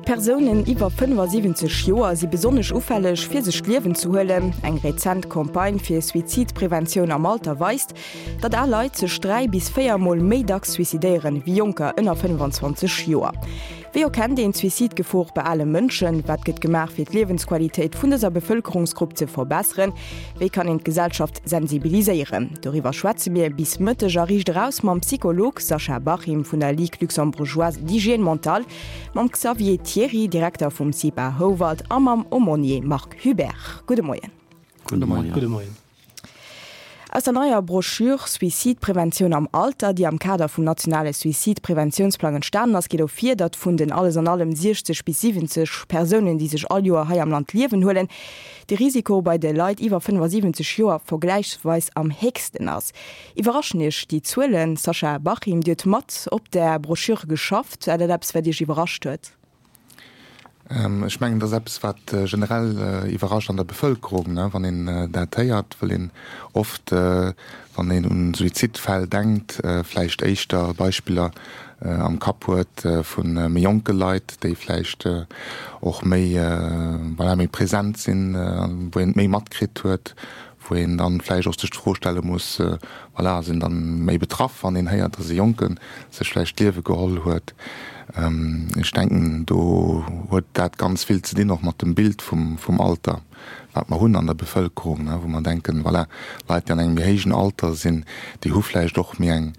Persounen iwwer 75 Joer si besonnesch ufälleg, fir sech d'Liewen ze huelen. Eng rezent Campagne fir Suizidpreventioun am Alter weist, datt al Leit sech 3 bis 4 Mol méi dacks suicidéieren, wéi Jonker ënner 25 Joer. Wéi erkennt een d'Suizidgefor bei ale Mënschen? Wat gëtt gemaach, fir d'Liewensqualitéit vun dëser Bevëlkerungsgrupp ze verbesseren? Wéi kann een d'Gesellschaft sensibiliséieren? Doriwwer schwätze mir bis Mëtteg a Riicht Eraus mam Psycholog Sascha Bachim vun der Ligue luxembourgeoise d'hygiène mentale, mam Xavier Thiry, Direkter vum CIPA Houwald a mam Aumônier Marc Hubert. Gudde Moien. Gudde Moien. Gudde Moien. Aus der neier Broschür Suizidpreventioun am Alter, déi am Kader vum nationale Suizidpreventiounsplang entstanen ass, geet ervir, datt vun den alles an allem 60 bis 70 Persounen, déi sech all Joer hei am Land d'Liewen huelen, de Risiko bei de Leit iwwer 75 Joer vergläichsweis am héchsten ass. Iwwerraschen Iech déi Zuelen? Sascha Bachim, Dir hutt mat op där Broschür geschafft. War dat eppes, wat Iech iwwerrascht huet? Ech mengen, dat ass eppes, wat generell iwwerrascht an der Bevëlkerung, wann een dat héiert, wëll een oft, wann een un Suizidfäll denkt, vläicht éischter Beispiller am Kapp huet vu méi jonke Leit, déi vläicht och méi, voilà, méi present sinn, wou een et méi matkritt huet, wou een dann vläicht och sech d'Fro stelle muss, voilà, ass een dann méi betraff, wann een héiert, dass e Jonke sech vläicht d'Liewe geholl huet. Ech denken, do huet dat ganz vill ze dinn och mat dem Bild vum Alter, wat mer hunn an der Bevëlkerung, wou mer denken, voilà, Leit, déi an engem méi héijen Alter sinn, déi hu vläicht och méi eng,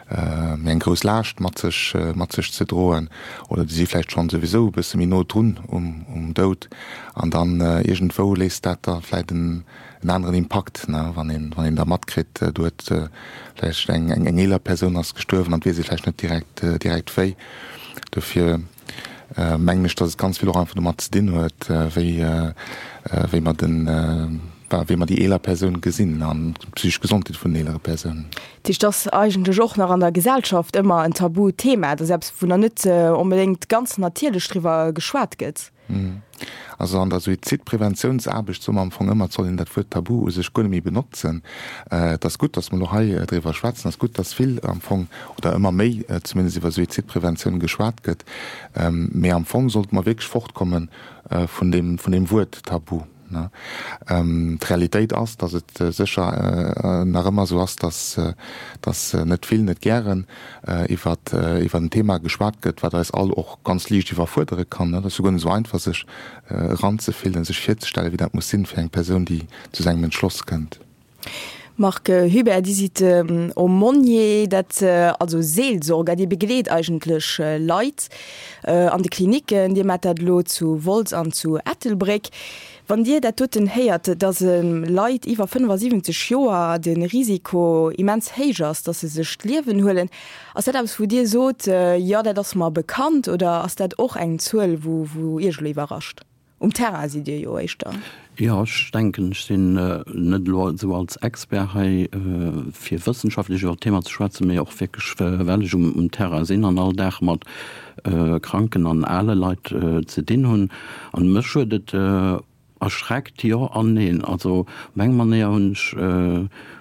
méi eng grouss Laascht mat sech, mat sech ze droen oder déi si vläicht schonn souwisou e bësse méi no drun um Doud. An dann iergendwou léisst dat da vläicht en aneren Impakt, wann een, wann een da matkritt, do huet vläicht eng, eng eeler Persoun ass gestuerwen an et weess ee vläicht net direkt, direkt wéi. Dofir mengen ech, datt et ganz vill och einfach domat ze dinn huet, wéi, wéi mer den, wéi mer déi eeler Persoun gesinn an d'psychesch Gesondheet vun den eelere Persounen. Dat heescht, et ass eigentlech och nach an der Gesellschaft ëmmer en Tabuthema. Et ass eppes, wou nach net onbedéngt ganz natierlech driwwer geschwat gëtt. Also an der Suizidpreventiounsaarbecht soe mer am Fong ëmmer, et soll een dat Wuert Tabu u sech guer net méi benotzen. Et ass gutt, datt mer elo hei driwwer schwätzen. Et ass gutt, datt vill am Fong, oder ëmmer méi zumindest, iwwer Suizidpreventioun geschwat gëtt. Mee am Fong sollte mer wierklech fortkomme vun deem, vun deem Wuert Tabu. D'Realitéit ass, datt et sécher nach ëmmer esou ass, datt net vill, net gären iwwer en Thema geschwat gëtt, wat eis all och ganz liicht iwwerfuerdere kann. Et ass jo guer net esou einfach, sech eranzefillen, sech virzestellen, wéi dat muss sinn fir eng Persoun, déi zu esou engem Entschloss kënnt. Marc Hubert, Dir sidd Aumônier, dat also Seelsorger, Dir begleet eigentlech Leit an de Klinicken. Dir maacht dat elo zu Wolz an zu Ettelbréck. Wann Dir dat doten héiert, datt Leit iwwer 75 Joer de Risiko immens héich ass, datt se sech d'Liewen huelen, ass dat eppes wou Dir sot, jo dat ass mer bekannt oder ass dat och eng Zuel wou Iech elo iwwerrascht? Um Terrain sidd Dir jo éischter. Jo, ech denken, ech sinn net elo esou als Expert hei, fir wëssenschaftlech iwwer d'Thema ze schwätzen, mee och wierklech, well ech um Terrain sinn an all Dag mat kranken an ale Leit ze dinn hunn. An mech huet et erschreckt, jo an neen. Also op eng Manéier hunn ech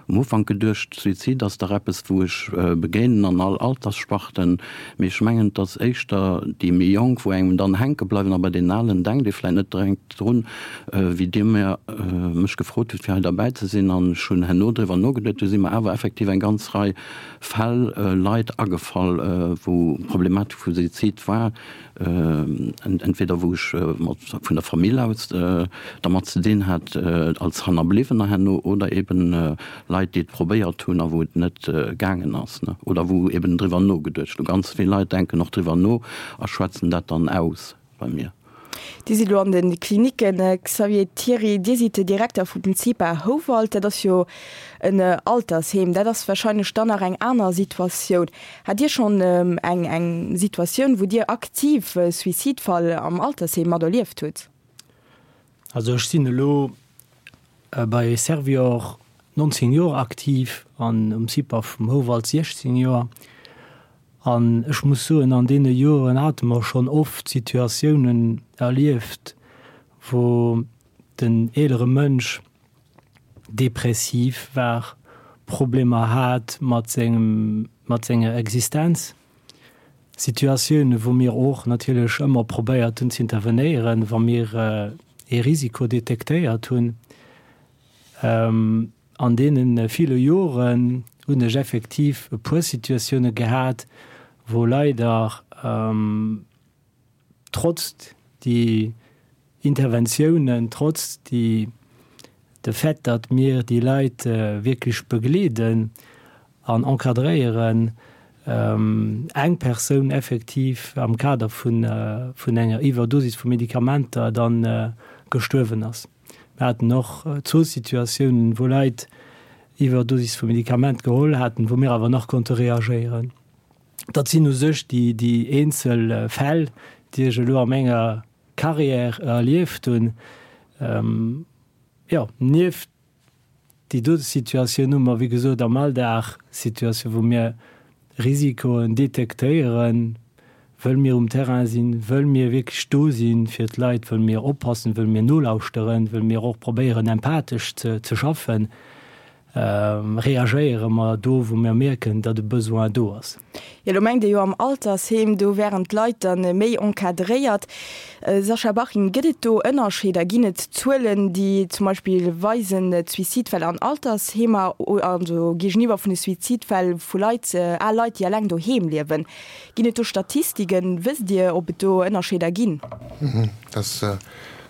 um Ufank geduecht, Suizid ass dach eppes, wou ech begéinen an all Alterssparten. Mee ech mengen, et ass éischter déi méi Jonk, wou engem dann hänke bleiwen. A bei deenen Alen denkt ee vläicht net direkt drun, wéi Dir mir mech gefrot hutt, fir hei derbäi ze sinn. An ech hunn herno driwwer nogeduet, du si mer awer effektiv eng ganz Rei Fäll, Leit agefall, wou Problematik vu Suizid war. Entweder wou ech mat vun der Famill aus dermat ze dinn hat als Hannerbliwwener herno oder eben Leit déi et probéiert hunn a wou et net gaangen ass oder wou eben driwwer nogeduecht hu. Ganz vill Leit denken och driwwer no a schwätzen dat dann aus bei mir. Dir sidd elo an de Klinicken. Xavier Thiry, Dir sidd de Direkter vum CIPA Houwald. Dat ass jo en Altersheem. Dat ass warscheinlech dann nach eng aner Situatioun. Hat Dir schonn eng eng Situatioun, wou Dir aktiv e Suizidfall am Altersheem mat erlieft hutt? Also ech sinn elo bei Servior 19 Joer aktiv an um CIPA vum Houwald 16 Joer. An ech muss soen, an deene Joren hate mer schonn oft Situatiounen erlieft, wou den eelere Mënsch depressiv war, Problemer hat mat sengem, mat senger Existenz. Situatiounen, wou mir och natierlech ëmmer probéiert hunn ze intervenéieren, wa mir ee Risiko detektéiert hunn. An deene ville Joren hunn ech effektiv e puer Situatioune gehat, wou leider trotz déi Interventiounen, trotz déi, de Fait, datt mir déi Leit wierklech begleeden an encadréieren, eng Persoun effektiv am Kader vun enger Iwwerdosis vu Medikamenter da gestuerwen ass. Mir haten och zwou Situatiounen, wou Leit Iwwerdosis vu Medikament geholl haten, wou mir awer nach konnte reagéieren. Dat sinn u sech déi eenzel Fäll, déi ech elo a menger Carrière erlieft hunn. Jo, nieft déi dote Situatioun hu mer, wéi gesot, am Alldag Situatioun, wou mir Risikoen detektéieren, wëll mir um Terrain sinn, wëll mir wierklech do si fir d'Leit, wëll mir oppassen, wëll mir nolauschteren, wëll mir och probéieren, empathesch ze schaffen. Reagéiere mer do, wou mer mierken, datt e Besoin do ass. Jo, lo mengt Dir jo am Altersheem, do wären d'Leit dann méi encadréiert. Sascha Baching, gëtt et do Ënnerscheeder? Ginn et Zuelen, déi zum Beispill weisen, d'Suizidfäll an Altersheemer, also géigeniwwer vun de Suizidfäll vu Leit, al Leit, déi eleng doheem liewen? Ginn et do Statistiken? Wësst Dir, ob et do Ënnerscheeder ginn? Dat ass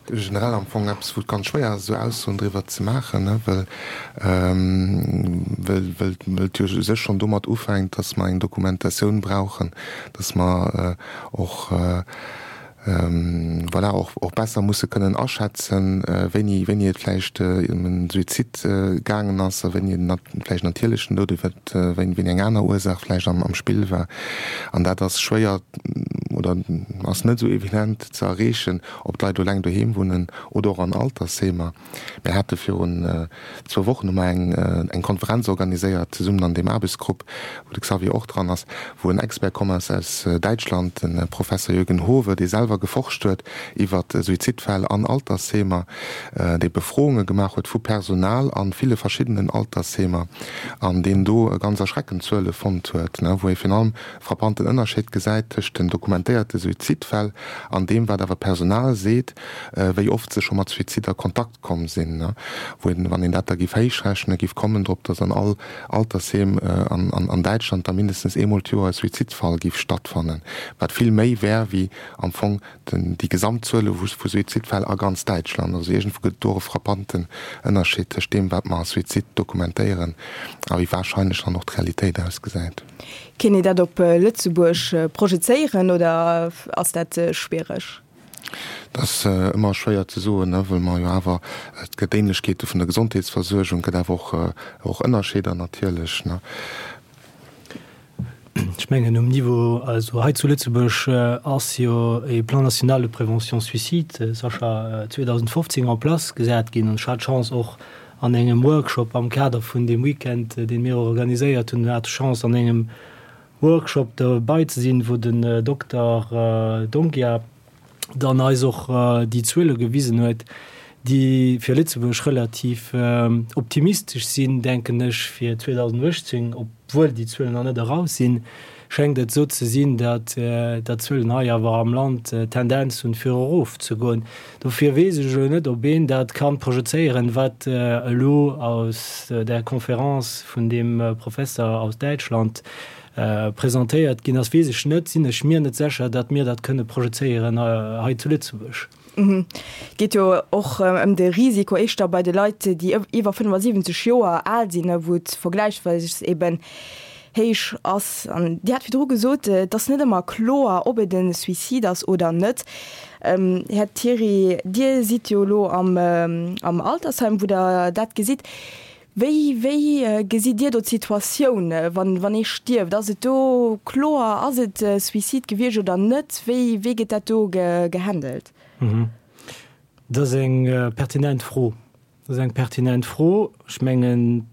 generell am Fong eppes, wou et ganz schwéier ass, esou Aussoen driwwer ze maachen, ne, well, well, well, well et jo u sech schonn domat ufänkt, dass mer eng Dokumentatioun brauchen, dass mer och, voilà, och, och besser musse kënnen aschätzen, wéini, wéini et vläicht ëm e Suizid gaangen ass a wéini et vläicht natierlechen Doud, wéini, wéini eng aner Ursaach vläicht am, am Spill war. An dat ass schwéier oder ass net esou evident ze erreechen. Ob d'Leit eleng doheem wunnen oder och an Altersheemer. Mir hate virun zwou Wochen hu mer eng eng Konferenz organiséiert zesummen an deem Aarbechtsgrupp, wou de Xavier och dran ass, wou en Expert komm ass aus Däitschland, de Professer Jürgen Howe, dee selwer geforscht huet iwwer Suizidfäll an Altersheemer, dee Befrounge gemaach huet vu Personal a ville verschiddenen Altersheemer an deen do ganz erschreckend Zuele fonnt huet, wou ee virun allem frappanten Ënnerscheed gesäit tëscht den dokumentéierte Suizidfäll an deem, wat awer d'Personal seet, wéi oft se scho mat Suizid a Kontakt komm sinn, wou een, wann een dat da giff héichrechnen, giff kommen drop, datt an all Altersheem an Däitschland da mindestens eemol d'Joer e Suizidfall giff stattfannen, wat vill méi wär wéi am Fong déi gesamt Zuele vu Suizidfäll a ganz Däitschland. Also iergendwou gëtt et do och e frappanten Ënnerscheed tëscht deem, wat mer als Suizid dokumentéieren a wéi warscheinlech dann och d'Realitéit ausgesäit. Kéint een dat op Lëtzebuerg projezéieren oder ass dat schwiereg? Dat ass ëmmer schwéier ze soen, wëll mer jo awer, et gëtt Ähnlechkeete vun der Gesondheetsversuergung, et gëtt awer och Ënnerscheeder natierlech. Ech mengen um Niveau, also hei zu Lëtzebuerg ass jo e Plan national de prévention suicide, Sascha, 2015 en place gesat ginn an ech hat d'Chance och an engem Workshop am Kader vun deem Weekend, dee mir organiséiert hunn, hat ech d'Chance an engem Workshop derbei ze sinn, wou den Dokter D'Onghia dann eis och déi Zuele gewisen huet, déi fir Lëtzebuerg relativ optimistesch sinn, denken ech, fir 2018, obwuel déi Zuelen nach net eraus sinn, schéngt et esou ze sinn, datt d'Zuelen hei awer am Land d'Tendenz hunn, fir erofzegoen. Dofir weess ech elo net, ob een dat ka projezéieren, wat elo aus där Conférence vun deem Professer aus Däitschland presentéiert ginn ass, weess ech net, sinn ech mir net sécher, datt mir dat kënne projezéieren hei zu Lëtzebuerg. Et geet jo och ëm de Risiko éischter bei de Leit, déi iwwer 75 Joer al sinn, wou et vergläichsweis eben héich ass. An Dir hat virdru gesot, et ass net ëmmer kloer, ob et e Suicide ass oder net. Här Thiry, Dir sidd jo elo am Altersheim, wou Der dat gesitt. Wéi, wéi gesitt Dir do d'Situatioun, wann, wann ee stierft? Ass et do kloer, ass et Suicide gewiescht oder net? Wéi, wéi gëtt dat do gehandelt? Dat ass eng pertinent Fro. Dat ass eng pertinent Fro. Ech mengen,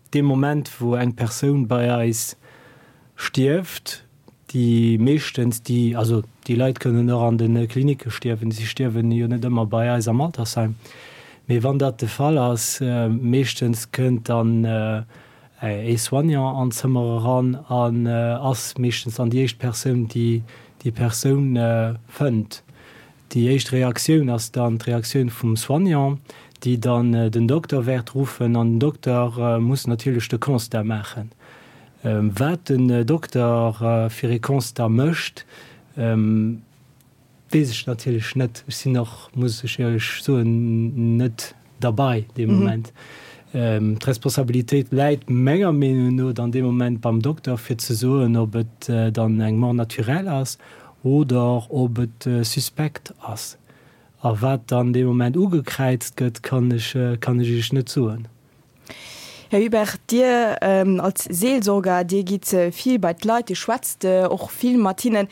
dee Moment, wou eng Persoun bei eis stierft, déi meeschtens, déi, also déi Leit kënnen och an de Klinicke stierwen, si stierwen jo net ëmmer bei eis am Altersheim, mee wann dat de Fall ass, meeschtens kënnt dann. Ee Soignant an d'Zëmmer eran an ass meeschtens dann déi éischt Persoun, déi déi Persoun fënnt. Déi éischt Reaktioun ass dann d'Reaktioun vum Soignant, déi dann den Dokter wäert ruffen an den Dokter muss natierlech de Constat maachen. Wat den Dokter fir ee Constat mécht, Weess ech natierlech net. Ech sinn och, muss ech éierlech soen, net derbei dee Moment. D'Responsabilitéit läit menger Meenung no dann dee Moment beim Dokter, fir ze soen, ob et dann eng Mort naturelle ass oder ob et suspect ass. A wat dann dee Moment ugekräizt gëtt, kann ech, kann ech Iech net soen. Här Hubert, Dir als Seelsorger, Dir gitt vill bei d'Leit, Dir schwätzt och vill mat hinnen.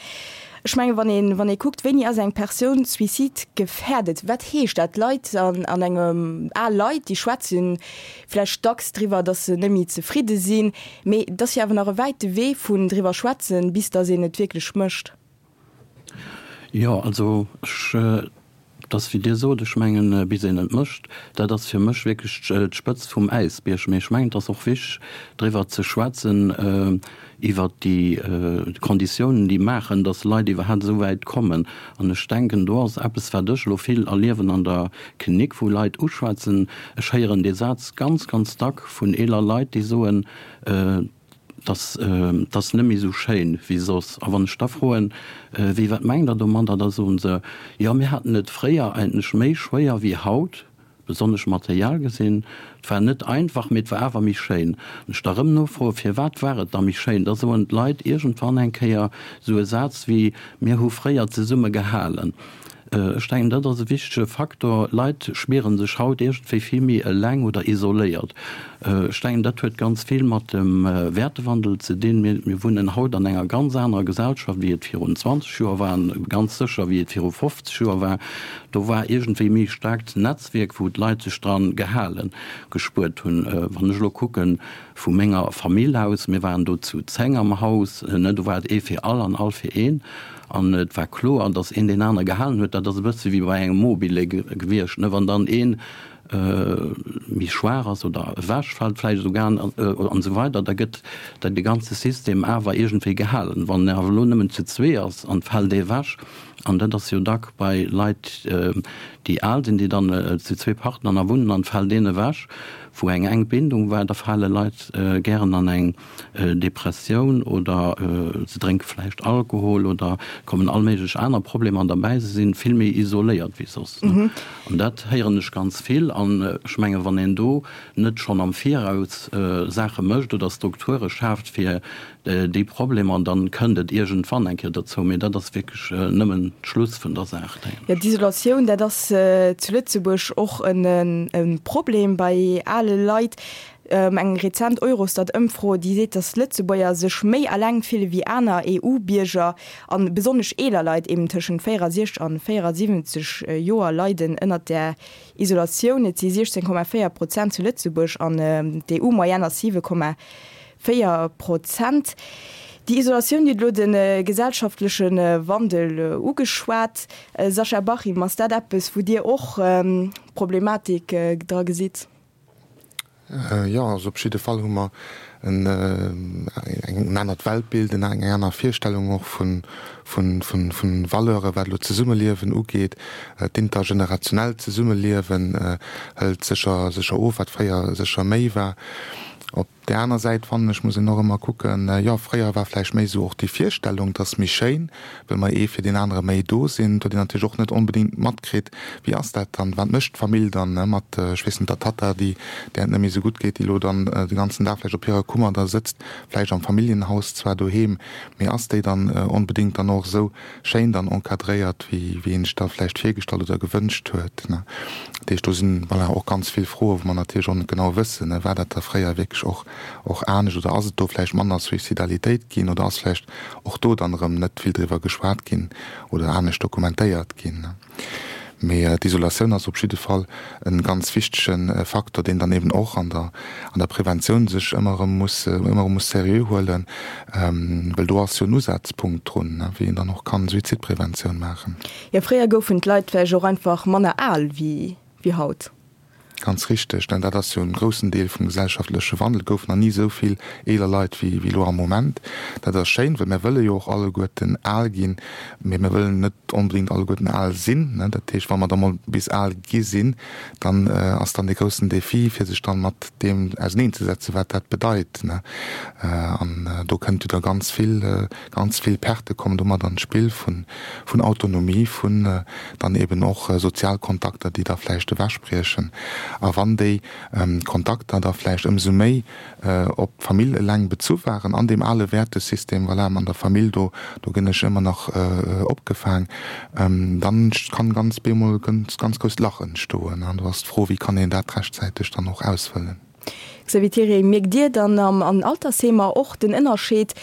Ech mengen, wann ee wann ee kuckt, wéini ass eng Persoun suizidgefährdet, wat heescht dat? Leit an an engem al Leit, déi schwätze vläicht dacks driwwer, datt se net méi zefridde sinn, mee et ass jo awer nach e wäite Wee vun driwwer schwätzen, bis datt een et wierklech mécht. Jo, also ech, et ass wéi Dir sot, ech mengen, bis een et mécht, dat ass fir mech wierklech d'Spëtzt vum Äisbierg. Mee ech mengen, et ass och wichteg driwwer ze schwätzen, iwwert déi Konditiounen, déi maachen, datt Leit iwwerhaapt esou wäit kommen. An ech denken, do ass eppes, wat ech elo vill erliewen an der Klinik, wou Leit uschwätzen, ech héieren dee Saz ganz, ganz dack vun eeler Leit, déi soen, 't ass net méi esou schéin wéi soss. A wann ech da froen, Wéi, wat mengt Der domadder? Da soen se, Jo, mir haten et fréier eigentlech méi schwéier wéi haut, besonnesch materiell gesinn. Et war net einfach, mee et war awer méi schéin. Wann ech da erëm nofroen, Firwat war et da méi schéin? Da soen d'Leit iergendwann eng Kéier esou e Saz wéi, Mir hu fréier zesumme gehalen. Ech denken, dat ass e wichtege Faktor. Leit spiere sech haut iergendwéi vill méi eleng oder isoléiert. Ech denken, dat huet ganz vill mat dem Wäertewandel ze dinn. Mir wunnen haut an enger ganz anerer Gesellschaft, wéi et virun 20 Joer war, an ganz sécher, wéi et viru 50 Joer war. Do war iergendwéi méi staarkt Netzwierk, wou d'Leit sech dran gehalen gespuert hunn. Wann ech elo kucken, Vu menger Famill aus, mir waren do zu 10 am Haus, ne, do war et ee fir all an all fir een. An et war kloer, datt een deen anere gehalen huet. Dat ass e bësse wéi bei engem Mobile gewiescht, ne, wann dann ee méi schwaach ass oder ewechfält vläicht esouguer an esou weider, da gëtt dat de ganze System awer iergendwéi gehalen. Wann en awer elo nëmmen zu zwee ass an et fält ee ewech, an dat ass jo dack bei Leit, déi al sinn, déi dann zu zwee Partner nach wunnen an et fält een ewech, wou eng enk Bindung war, da fale Leit gären an eng Depressioun oder se drénke vläicht Alkohol oder kommen all méiglech aner Problemer derbäi. Se si vill méi isoléiert wéi soss. An dat héieren ech ganz vill. An ech menge wann een do net schonn am Viraus Saache mécht oder Strukture schaaft, fir déi Problemer, dann kënnt et iergendwann eng Kéier dozou, mee dat ass wierklech nëmmen d'Schluss vun der Saach, denken ech. Jo, d'Isolatioun, dat ass zu Lëtzebuerg och e Problem bei ale Leit. Eng rezent Eurostat-Ëmfro, déi seet, datt Lëtzebuerger sech méi eleng fille wéi aner EU-Bierger an besonnesch eeler Leit, eben tëschent 64 an 74 Joer, leiden ënnert där Isolatioun. Et si 16,4 Prozent zu Lëtzebuerg an d'EU-Moyenne ass 7,4 Prozent. Déi Isolatioun, Dir hutt elo de gesellschaftleche Wandel ugeschwat, Sascha Bachim, ass dat eppes, wou Dir och Problematik dra gesitt? Jo, also op jidde Fall hu mer en anert Weltbild, eng aner Virstellung och vu Valeuren, wat elo d'Zesummeliewen ugeet. D'intergenerationellt Zesummeliewen hëlt sécher sécher of, wat fréier sécher méi war. Op där aner Säit fannen ech, muss een och ëmmer kucken, jo, fréier war vläicht méi esou och déi Virstellung, 't ass méi schéin, well mer ee fir deen anere méi do sinn. Et huet een natierlech och net onbedéngt matkritt, wéi ass dat dann, wat mécht d'Famill dann mat, ech weess net, der Tatta, déi, där et net méi esou gutt geet, déi elo dann de ganzen Dag vläicht op hirer Kummer da sëtzt, vläicht am Familljenhaus zwar doheem, mee ass déi dann onbedéngt dann och esou schéin dann encadréiert, wéi wéi een sech dat vläicht virgestallt oder gewënscht huet, ne. Dat heescht, do sinn, voilà, och ganz vill Froen, wou mer natierlech och net genau wëssen, ne, war dat da fréier wierklech och och anescht oder ass et do vläicht manner Suicidalitéit ginn oder ass vläicht och do dann erëm net vill driwwer geschwat ginn oder anescht dokumentéiert ginn, ne. Mee d'Isolatioun ass op jidde Fall e ganz wichtege Faktor, deen dann eben och an der an der Preventioun sech ëmmer erëm muss ëmmer erëm muss seriö huelen, well do ass jo en Usazpunkt drun, wéi een dann och kann Suizidpreventioun maachen. Jo, fréier goufen d'Leit vläicht och einfach manner al wéi haut. Ganz richteg, denn dat ass jo en groussen Deel vum gesellschaftleche Wandel. Et goufen nach ni esou vill eeler Leit wéi elo am Moment. Dat ass schéin, well mir wëlle jo och alleguerten al ginn, mee mir wëllen net onbedéngt alleguerten al sinn. Dat heescht, wa mer da mol bis al gi sinn, dann ass dann dee groussen Défi, fir sech dann mat deem auserneenzesetzen, wat dat bedeit. An do kënnt jo da ganz vill, ganz vill Pertë kommen domat an d'Spill vun Autonomie, vun dann eben och sozial Kontakter, déi da vläicht ewechbriechen. A wann déi Kontakter da vläicht ëmsou méi op d'Famill eleng bezu waren, an deem ale Wäertesystem, voilà, an der Famill, do, do ginn ech ëmmer nach opgefaang, dann kann ganz bemol e ganz, ganz grousst Lach entstoen. An do ass d'Fro, wéi kann een dat rechtzäiteg dann och ausfëllen? Xavier Thiriet, Mierkt Dir dann an Altersheemer och den Ënnerscheed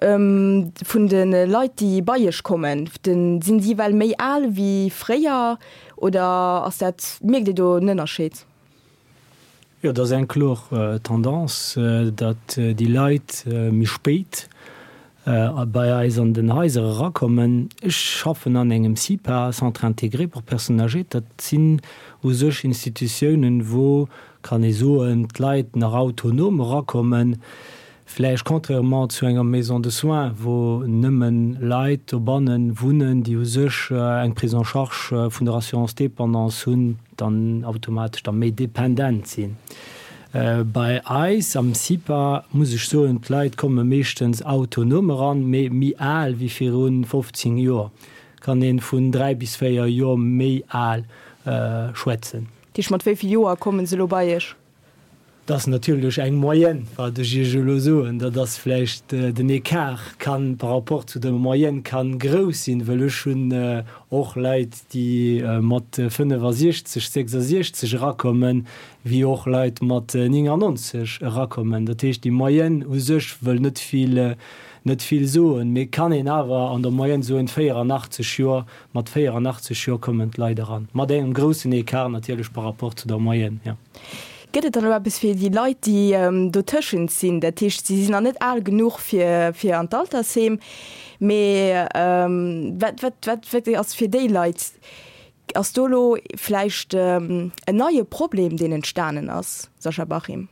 vun de Leit, déi bei Iech kommen? Sinn si well méi al wéi fréier oder ass dat, mierkt Dir do en Ënnerscheed? Jo, dat ass eng kloer Tendance, datt déi Leit méi spéit bei eis an den Haiser erakommen. Ech schaffen an engem CIPA, Centre intégré pour personnes âgées. Dat sinn u sech Institutiounen, wou, kann ee soen, d'Leit nach autonom erakommen, vläicht contrairement zu enger Maison de soins, wou nëmme Leit dobanne wunnen, déi u sech eng Prise en charge vun der Assurance dépendance hunn, dann automatesch da méi dependent sinn. Bei eis am CIPA muss ech soen, d'Leit komme meeschtens autonom eran, mee méi al wéi viru 15 Joer, kann ee vun 3 bis 4 Joer méi al schwätzen. Dat heescht, mat wéi vill Joer komme se elo bei Iech? Dat ass natierlech eng Moyenne, wat ech Iech elo soen. Dat ass vläicht, den Ecart kann par rapport zu der Moyenne kann grouss sinn, wëll ech hunn och Leit, déi mat 65, 66 erakommen, wéi och Leit mat 99 erakommen. Dat heescht, déi Moyenne u sech wëll net vill, net vill soen, mee kann een awer an der Moyenne soen, 84 Joer, mat 84 Joer kommen d'Leit eran, mat engem groussen Ecart natierlech par rapport zu der Moyenne, jo. Gëtt et dann elo eppes fir déi Leit, déi dotëschent sinn? Dat heescht, si sinn nach net al genuch fir, fir an d'Altersheem, mee wat, wat, wat, wat ass fir déi Leit? Ass do elo vläicht en neie Problem, deen entstanen ass, Sascha Bachim?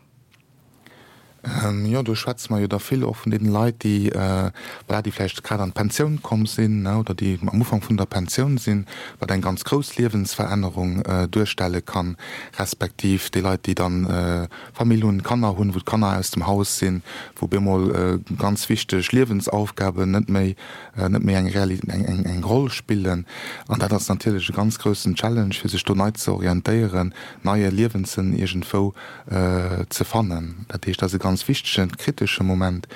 Jo, do schwätze mer jo da vill och vun deene Leit, déi, voilà, déi vläicht grad an d'Pensioun komm sinn, ne, oder déi am Ufank vun der Pensioun sinn, wat eng ganz grouss Liewensverännerung duerstelle kann, respektiv déi Leit, déi dann Famill hunn, Kanner hunn, wou d'Kanner aus dem Haus sinn, wou bemol ganz wichteg Liewensaufgaben net méi, net méi eng Reali-, eng, eng, eng Roll spillen. An dat ass natierlech e ganz groussen Challenge, fir sech do nei ze orientéieren, neie Liewenssënn iergendwou ze fannen. Dat heescht, dat ass e ganz wichtegen, kritesche Moment.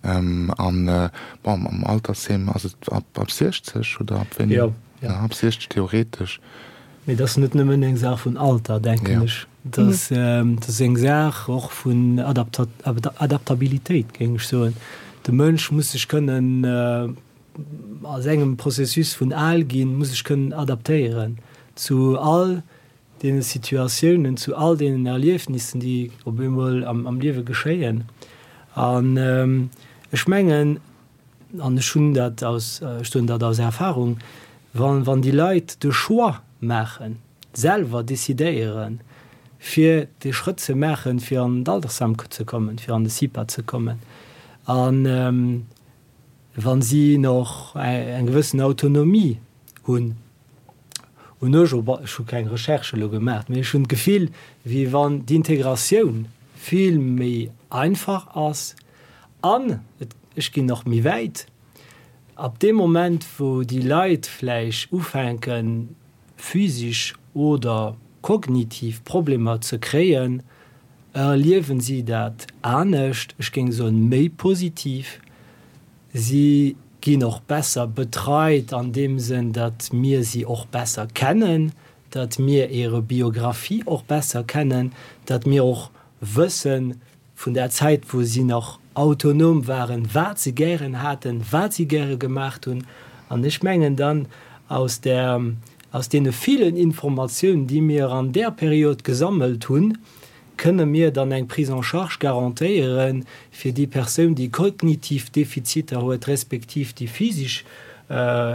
An, bon, am Altersheem ass et ab 60 oder ab wéini? Jo. Ja, ab 60 theoretesch. Mee dat ass net nëmmen eng Saach vun Alter, denken ech. Dat ass eng Saach och vun Adaptabilitéit, géing ech soen. De Mënsch muss sech kënnen a sengem Processus vun al ginn, muss sech kënnen adaptéieren zu all deene Situatiounen, zu all deenen Erliefnissen, déi op eemol am Liewe geschéien. An ech mengen, an ech hunn dat aus, ech soen dat aus Erfahrung, wann, wann déi Leit de Choix maachen, selwer decidéieren, fir dee Schrëtt ze maachen, fir an d'Altersheim ze kommen, fir an de CIPA ze kommen, a wa si nach eng gewëssen Autonomie hunn, hunn ech, ech hu keng Recherche elo gemaach, mee ech hunn d'Gefill, wéi wann d'Integratioun vill méi einfach ass an, ech ginn nach méi wäit, ab deem Moment, wou déi Leit vläicht ufänken, physisch oder kognitiv Problemer ze kréien, erliewen si dat anescht, ech géing soen, méi positiv. Si ginn och besser betreit an deem Sënn, datt mir si och besser kennen, datt mir hire Biographie och besser kennen, datt mir och wësse vun der Zäit, wou si nach autonom waren, wat se gären haten, wat si gäre gemaacht hunn. An ech mengen dann, aus där, aus deene villen Informatiounen, déi mir an där Period gesammelt hunn, Kënne mir dann eng Prise en charge garantéiere fir déi Persoun, déi kognitiv Defiziter huet, respektiv déi physisch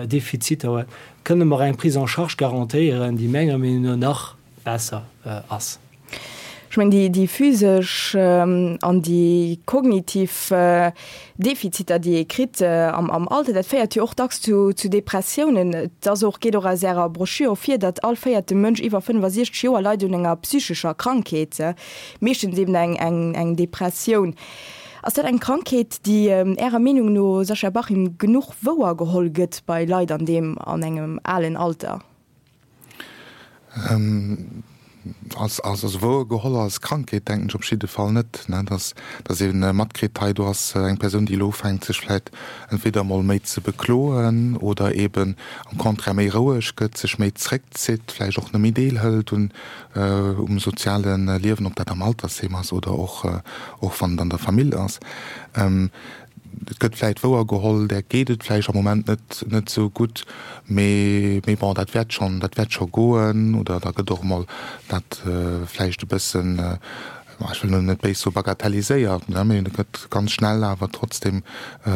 Defiziter huet? Kënne mer eng Prise en charge garantéieren, déi menger Meenung no nach. besser ass. Ech mengen, déi, déi physesch an déi kognitiv Defiziter, déi ee kritt am, am Alter, dat féiert jo och dacks zu, zu Depressiounen. Et ass och, geet och aus Ärer Broschür ervir, datt all véierte Mënsch iwwer 65 Joer leit un enger psychescher Krankheet, meeschtens eben eng, eng, eng Depressioun. Ass dat eng Krankheet, déi Ärer Meenung no, Sascha Bachim, genuch wouergeholl gëtt bei Leit an deem, an engem alen Alter? Als, als, also wouer geholl als Krankheet denken ech op jidde Fall net, ne, dass, dass ee matkritt, hei do ass eng Persoun, déi elo ufänkt sech vläicht entweder emol méi ze bekloen oder eeben am Contraire méi roueg gëtt, sech méi zréckzitt, vläicht och net méi deelhëlt un, um soziale Liewen, ob dat am Altersheem ass oder och, och wann et an der Famill ass. Et gëtt vläit wouer geholl, där geet et vläicht am Moment net net esou gutt, mee mee bon, dat wäert schonn, dat wäert scho goen. Oder da gëtt och emol dat vläicht e bëssen, ech wëll elo net béis soe bagatelliséiert, ne, mee et gëtt ganz schnell awer trotzdem e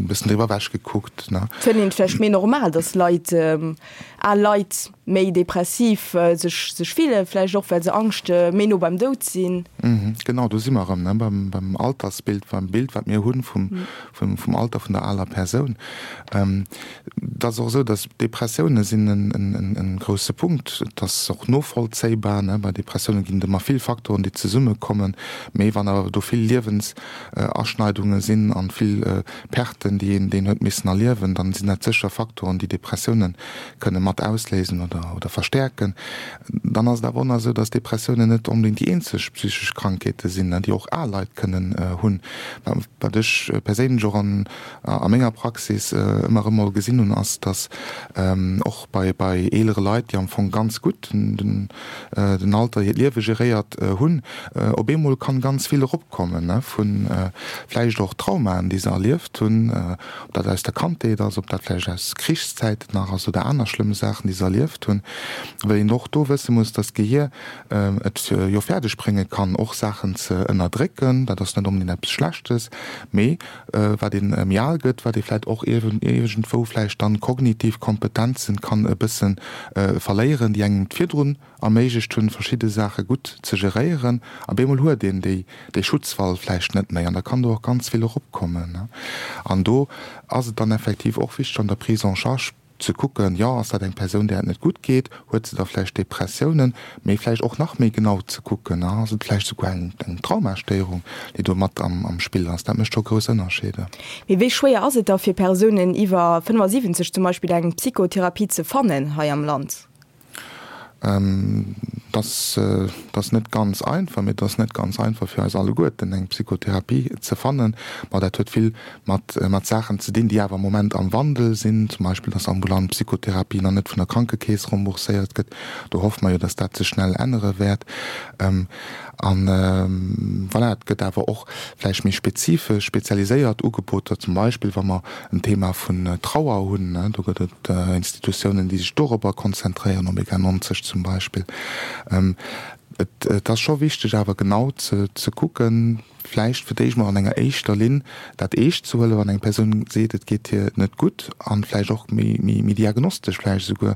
bëssen driwwer ewech gekuckt, ne. Fënnt een et vläicht méi normal, datt Leit, al Leit méi depressiv sech sech fillen, vläicht och well se Angscht méi no beim Doud sinn. Genau, do si mer erëm, ne, beim beim Altersbild, beim Bild wat mir hunn vum vum vum Alter vun der aler Persoun. Et ass och esou, datt Depressioune sinn en en en grousse Punkt. Et ass och novollzéibar, ne, bei Depressioune ginn et ëmmer vill Faktoren déi zesummekommen, mee wann awer do vill Liewensaschneidunge sinn an vill Perten déi een deen huet missen erliewen, dann sinn dat sécher Faktoren déi Depressiounen kënne mat ausléisen oder oder verstäerken. Dann ass et awer och nach esou, dass Depressiounen net onbedéngt déi eenzeg psychesch Krankheete sinn, déi och al Leit kënnen hunn. Wat ech perséinlech och an a menger Praxis ëmmer erëm mol gesinn hunn, ass, dass och bei bei eelere Leit, déi am Fong ganz gutt den den Alter, hiert Liewe geréiert hunn, op eemol kann ganz vill eropkommen vu vläicht och Traumaen, déi se erlieft hunn, ob dat aus der Kandheet ass, ob dat vläicht aus Krichszäiten nach ass oder aner schlëmm Saachen, déi se erlieft hunn, well een och do wësse muss, dass d'Gehier et jo fäerdeg brénge kann, och Saachen ze ënnerdrécken. Dat ass net onbedéngt eppes Schlechtes, mee wat ee méi al gëtt, wat ee vläicht och iergendwou vläicht dann kognitiv Kompetenzen kann e bësse verléieren, déi engem virdrun erméiglecht hunn, verschidde Saache gutt ze geréieren. A bemol huet een déi, dee Schutzwall vläicht net méi an da kann do och ganz vill eropkommen. An do ass et dann effektiv och wichteg an der Prise en charge ze kucken, jo, ass dat eng Persoun, där et net gutt geet, huet se da vläicht Depressiounen, mee vläicht och nach méi genau ze kucken, ass et vläicht souguer eng, eng Traumastéierung, déi do mat am, am Spill ass. Dat mécht scho grouss Ënnerscheeder. Mee wéi schwéier ass et da fir Persounen iwwer 75 zum Beispill eng Psychotherapie ze fannen hei am Land? Dat ass net ganz einfach, mee et ass net ganz einfach fir eis alleguerten eng Psychotherapie ze fannen. Ma dat huet vill mat Saachen ze dinn, déi awer am Moment am Wandel sinn, zum Beispill dass ambulant Psychotherapie nach net vun der Krankekeess rembourséiert gëtt. Do hoffe mer jo, dass dat sech schnell ännere wäert. A voilà, et gëtt awer och vläicht méi spezifesch, spezialiséiert Ugeboter, zum Beispill wa mer en Thema vun Trauer hunn, do gëtt et Institutiounen, déi sech dorobber konzentréieren, Omega 90 zum Beispill. Et ass scho wichteg awer genau ze kucken, vläicht fir d'éischt mol an enger éischter Linn dat eescht ze huelen, wann eng Persoun seet, et geet hir net gutt, an vläicht och méi diagnostesch vläicht esouguer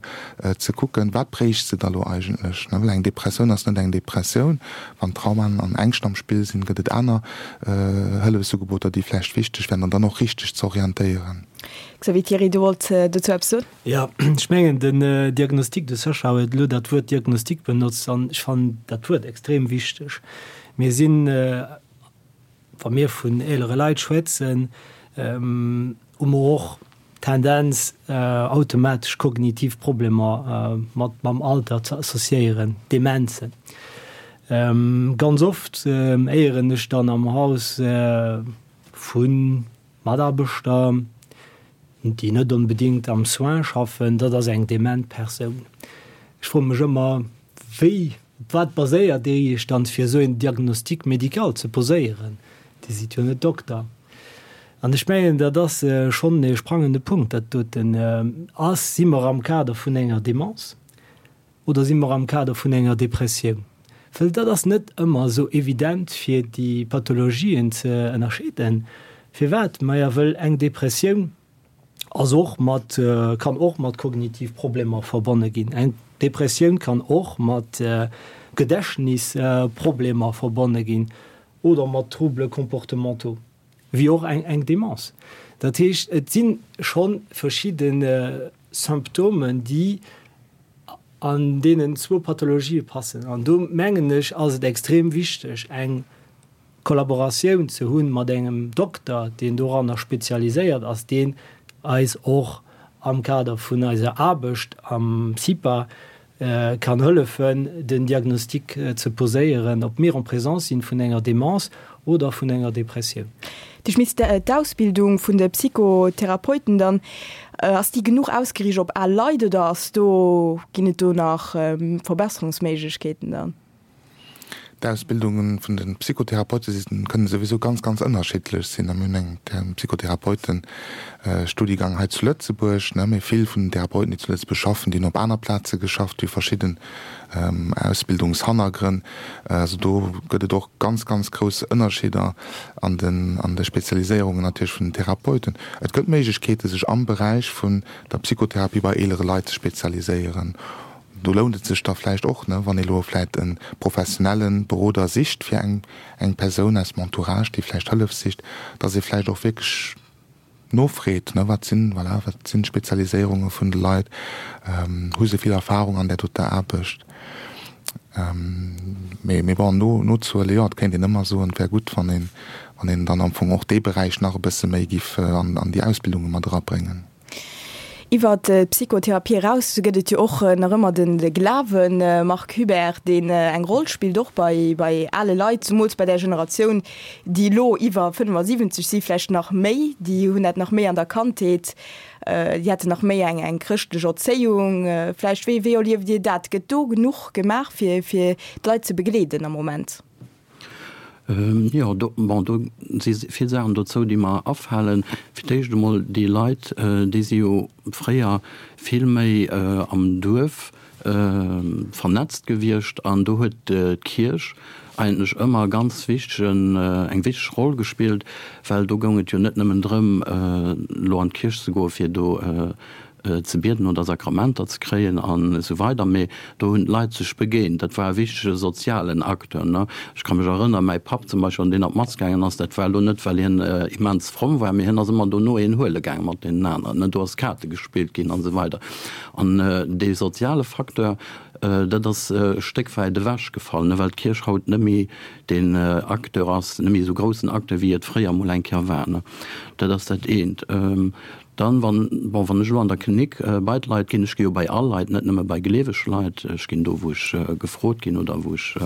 ze kucken, wat bréicht se da lo eigentlech. Well eng Depressioun ass net eng Depressioun. Wann Traumaen an Ängscht am Spill sinn, gëtt et aner Hëllefsugeboter, déi vläicht wichteg wären, an dann och richteg ze orientéieren. Xavier Thiry, du wollt dozou eppes soen? Jo, ech mengen den Diagnostic, de Sascha huet elo dat Wuert Diagnostic benotzt an ech fannen dat Wuert extrem wichteg. Mir sinn, wa mir vun eelere Leit schwätzen, hu mer och d'Tendenz automatesch kognitiv Problemer mat mam Alter ze associéieren, Demenzen. Ganz oft héieren ech dann am Haus vu Mataarbechter, déi net onbedéngt am Soin schaffen, dat ass eng dement Persoun. Ech froe mech ëmmer, wéi, op wat baséiert Dir Iech dann, fir esou een Diagnostic médical ze poséieren? Dir sidd jo net Dokter. An ech mengen, dat ass schonn e sprangende Punkt, dat doten. Ass, si mer am Kader vun enger Demence oder si mer am Kader vun enger Depressioun? Well dat ass net ëmmer esou evident, fir déi Pathologien ze ënnerscheeden. Firwat? Maja, wëll eng Depressioun ass och mat, kann och mat kognitiv Problemer verbonne ginn. Eng. Depressioun kann och mat Gedächtnisproblemer verbonne ginn oder mat Troubles comportementaux, wéi och eng Demenz. Dat heescht, et si scho verschidde Symptomen, déi an deenen zwou Pathologië passen. An do mengen ech, ass et extrem wichteg, eng Kollaboratioun ze hunn mat engem Dokter, deen doranner spezialiséiert ass, deen eis och am Kader vun eiser Aarbecht am CIPA kann hëllefen, den Diagnostic ze poséieren, ob mir en présence sinn vun enger Demence oder vun enger Depressioun. Dir schmisst d'Ausbildung vun de Psychotherapeuten dann, ass déi genuch ausgeriicht op al Leit oder ass do, ginn et do nach Verbesserungsméiglechkeeten dann? D'Ausbildunge vun de Psychotherapeute si kënnen souwisou ganz, ganz ënnerschiddlech sinn. A mir hunn eng Psychotherapeuten-Studigang hei zu Lëtzebuerg, ne, mee vill vun den Therapeuten, déi zu Lëtzebuerg schaffen, déi hunn op aner Plaze geschafft, déi hu verschidden Ausbildungshannergrënn. Also do gëtt et och ganz, ganz grouss Ënnerscheeder an den, an de Spezialiséierungen natierlech vun den Therapeuten. Et gëtt Méiglechkeete sech am Beräich vun der Psychotherapie bei eelere Leit ze spezialiséieren. Do lount et sech da vläicht och, ne, wann ee lo vläicht e professionelle Beroder sicht fir eng, eng Persoun aus dem Entourage, déi vläicht Hëllef sicht, dass ee vläicht och wierklech nofreet, ne, wat sinn, voilà, wat sinn d'Spezialiséierunge vun de Leit, hu se vill Erfahrung an där doter Aarbecht. Mee, mee bon, no, nozehuelen, jo, et kéint een ëmmer soen, et wär gutt, wann een, wann een dann am Fong och dee Beräich nach e bësse méi giff an, an déi Ausbildunge mat erabréngen. Iwwer d'Psychotherapie eraus gëtt et jo och nach ëmmer de Glawen, Marc Hubert, deen eng Roll spillt, och bei bei ale Leit, zumools bei där Generatioun, déi elo iwwer 75 si vläicht nach méi, déi hunn dat nach méi an der Kandheet, déi haten nach méi eng eng chrëschtlech Erzéiung vläicht. Wéi wéi erlieft Dir dat? Gëtt do genuch gemaach fir fir d'Leit ze begleeden am Moment? Jo, do, bon, do si vill Saachen dozou, déi mer afalen. Fir d'éischt emol, déi Leit, déi si jo fréier vill méi am Duerf vernetzt gewiescht an do huet d'Kierch eigentlech ëmmer ganz wichtegen, eng wichteg Roll gespillt, well do goung et jo net nëmmen drëm, elo an d'Kierch ze goen, fir do ze bieden oder Sakramenter ze kréien an esou weider, mee do hunn d'Leit sech begéint. Dat war e wichtege sozialen Acteur, ne. Ech ka mech erënnern, mäi Papp zum Beispill, wann deen an d'Mass gaangen ass, dat war elo net, well hien immens fromm war, mee hien ass ëmmer dono een huele gaange mat deenen aneren, ne. Do ass Kaarte gespillt ginn an esou weider. An dee soziale Facteur, dat ass e Stéck wäit ewechgefall, ne, well d'Kierch haut net méi deen Acteur ass, net méi esou groussen Acteur, wéi et fréier emol eng Kéier war, ne. Dat ass dat eent. Dann, wann, bon, wann ech elo an der Klinik bei d'Leit ginn, ech gi jo bei all Leit, net nëmme bei gleeweg Leit, ech ginn do, wou ech gefrot ginn oder wou ech,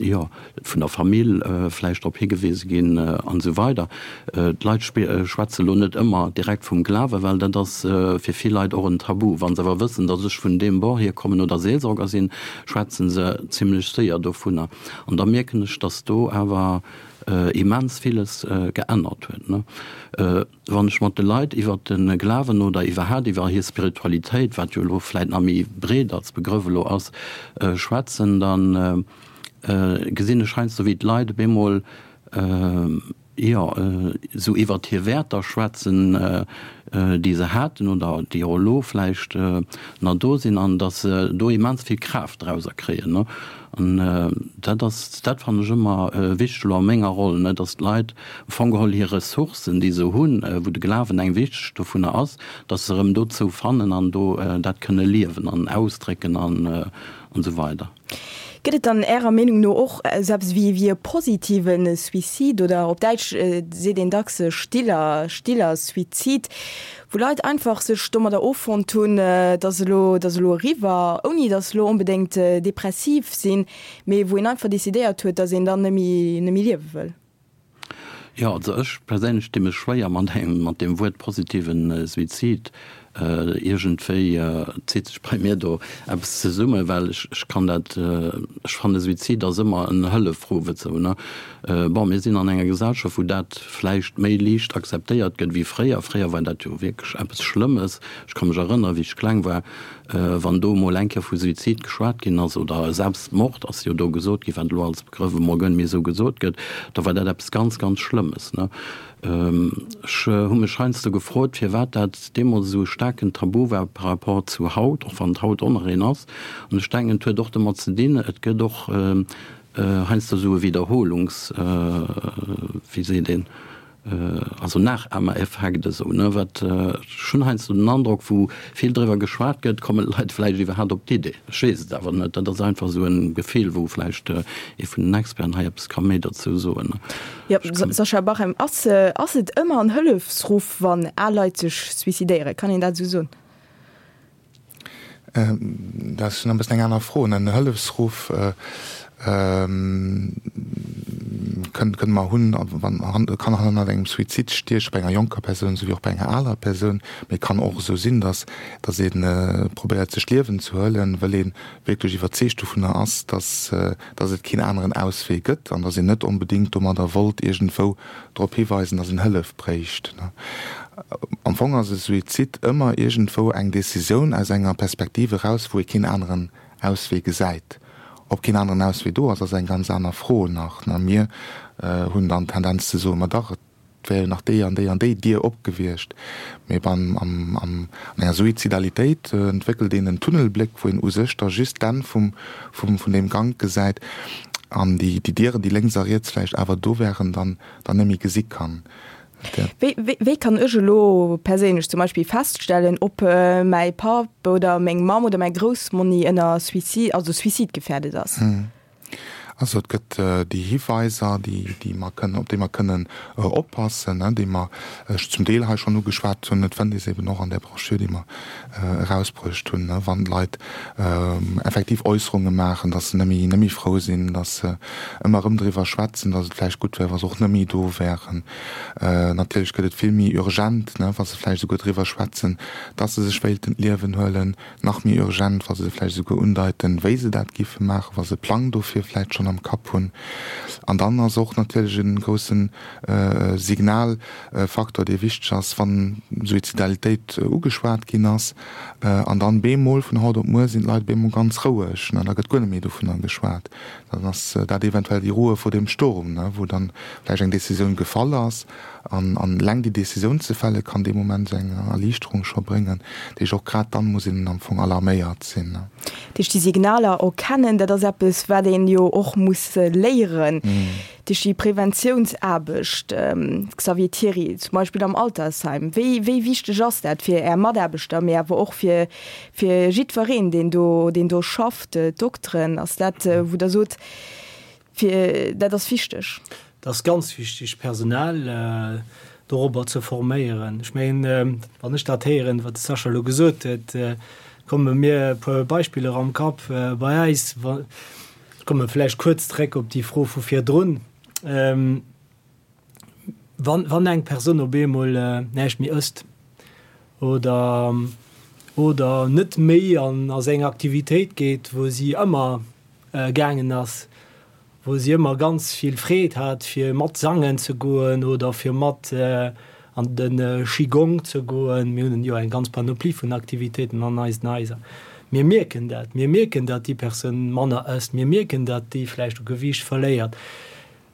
jo, vun der Famill vläicht drop higewise ginn an esou weider. D'Leit schwätze elo net ëmmer direkt vum Glawen, well dat ass fir vill Leit och en Tabu. Wa se awer wëssen, datt ech vun deem Bord hierkommen oder Seelsorger sinn, schwätze se zimlech séier dovunner. An da mierken ech, datt do awer immens villes geännert huet. Wann ech mat de Leit iwwer de Glawen oder iwwerhaapt iwwer hir Spiritualitéit, wat jo elo vläit nach méi breet als Begrëff elo ass, schwätzen, da gesinn ech heiansdo wéi d'Leit op eemol, jo, esou iwwert hir Wäerter schwätzen, déi se haten oder déi och elo vläicht nach do sinn, an datt se do immens vill Kraaft drauser kréien. An dat ass, dat fannen ech ëmmer wichteg elo a menger Roll, datt d'Leit am Fong geholl hir Ressourcen, déi se hunn, wou de Glawen eng wichteg dovunner ass, datt se erëm dozou fannen an do dat kënne liewen an ausdrécken an esou weider. Gëtt et dann Ärer Meenung no och esou eppes wéi wéi e positive Suicide oder op Däitsch seet een dacks stiller, stiller Suizid, wou Leit einfach sech domadder offonnt hunn, et ass elo, et ass elo eriwwer, ouni datt se elo onbedéngt depressiv sinn, mee wou een einfach decidéiert huet, datt een dann net méi, net méi liewe wëll? Jo, also ech perséinlech di mech schwéier mat engem, mat deem Wuert positiven Suizid. Iergendwéi zitt sech bei mir do eppes zesummen, well ech, ech kann dat, ech fanne Suizid ass ëmmer en Hëllefruff et sou, ne. Bon, mir sinn an enger Gesellschaft, wou dat vläicht méi liicht akzeptéiert gëtt wéi fréier. Fréier war dat jo wierklech eppes Schlëmmes. Ech ka mech erënnere wéi ech kleng war, wann do emol eng Kéier vu Suizid geschwat ginn ass oder Selbstmord ass jo do gesot ginn, wat elo als Begrëff emol guer net méi esou gesot gëtt, da war dat eppes ganz, ganz Schlëmmes, ne. Ech hu mech heiansdo gefrot, firwat dat deemools esou staark. staarken Tabu war par rapport zu haut, och wann et haut och nach een ass. An ech denken, et huet och domat ze dinn, et gëtt och heiansdo esou e Wiederholungs-, wéi seet een, also Nachahmereffekt esou, ne, wat, ech hunn heiansdo den Androck, wou vill driwwer geschwat gëtt, kommen d'Leit vläicht iwwerhaapt op d'Idee. Ech weess et awer net, dat ass einfach esou e Gefill, wou vläicht ee vun den Experten hei eppes ka méi derzou soen. Jo, Sascha Bachem, ass, ass et ëmmer en Hëllefsruff, wann al Leit sech suicidéieren? Kann een dat esou soen? Dat ass schon e bëssen eng aner Fro. En Hëllefsruff kënne kënne mer hunn, wann kann hannert engem Suizid stieche bei enger jonker Persoun esou wéi och bei enger aler Persoun. Mee et kann och esou sinn, datt datt ee probéiert sech d'Liewen ze huelen, wëll ee wierklech iwwerzeegt dovunner ass, datt datt et keen aneren Auswee gëtt an datt een net onbedéngt domadder wollt iergendwou drop hiweisen, datt een Hëllef bréicht. Am Fong ass e Suizid ëmmer iergendwou eng Decisioun aus enger Perspektiv eraus, wou ee keen aneren Auswee gesäit. Ob keen aneren Auswee do ass, ass eng ganz aner Fro nach. Mir hunn dann d'Tendenz ze soen, ma dach, et wär jo nach déi an déi an déi Dier op gewiescht. Mee beim, am, am, an enger Suizidalitéit entwéckelt een en Tunnelbléck, wou een u sech da just d'Enn vum, vum, vun deem Gank gesäit an déi, déi Dieren, déi lénks a riets vläicht awer do wären, dann, dann net méi gesi kann. Wéi, wéi, wéi kann ech elo perséinlech zum Beispill feststellen, ob mäi Papp oder meng Mamm oder mäi Groussmonni ënner Suicide, also suizidgefährdet ass? Also et gëtt déi Hiweiser, déi, déi mer kënnen, op déi mer kënnen oppassen, déi mer zum Deel hei schonn ugeschwat hunn. Et fënnt ee se eben och an där Broschür, déi mer erausbruecht hunn, wann d'Leit effektiv Äusserunge maachen, datt se net méi, net méi frou sinn, datt se ëmmer erëm driwwer schwätzen, datt et vläicht gutt wär, wa se och net méi do wären. Natierlech gëtt et vill méi urgent, wa se vläicht esouguer driwwer schwätzen, datt se sech wéilten d'Liewen huelen. Nach méi urgent, wa se vläicht esouguer undeiten, wéi se dat giffe maachen, wa se e Plang dofir vläicht schonn am Kapp hunn. An dann ass och natierlech e grousse Signalfaktor, dee wichteg ass, wann Suizidalitéit ugeschwat ginn ass an dann bemol vun haut op muer sinn d'Leit bemol ganz roueg, da gëtt guer net méi dovunner geschwat. Dann ass dat eventuell déi Ruhe vor dem Sturm, wou dann vläicht eng Décisioun gefall ass. An eleng déi Décisioun ze fälle kann dee Moment esou eng Erliichterung scho bréngen. Dat heescht, och grad dann muss een am Fong alarméiert sinn. Dat heescht, déi Signaler erkennen, dat ass eppes, wat een jo och muss léieren. Dat heescht, déi Preventiounsaarbecht, Xavier Thiry, zum Beispill am Altersheim, wéi, wéi wichteg ass dat fir Är Mataarbechter, mee awer och fir, fir jiddwereen, deen do, deen do schafft, d'Dokteren? Ass dat, wou Der sot, Fir dat ass wichteg. Et ass ganz wichteg, d'Personal dorobber ze forméieren. Ech mengen, wann ech dat héieren, wat de Sascha elo gesot huet, komme mir e puer Beispiller am Kapp bei eis. Ech komme vläicht kuerz zréck op déi Fro vu virdrun. Wann, wann eng Persoun op eemol näischt méi ësst oder, oder net méi an a seng Aktivitéit geet, wou si ëmmer gaangen ass, wou si ëmmer ganz vill Freed hat fir mat sangen ze goen oder fir mat an de Qigong ze goen. Mir hunn jo eng ganz Panoplie vun Aktivitéiten an eisen Haiser. Mir mierken dat. Mir mierken, datt déi Persoun manner ësst. Mir mierken, datt déi vläicht u Gewiicht verléiert.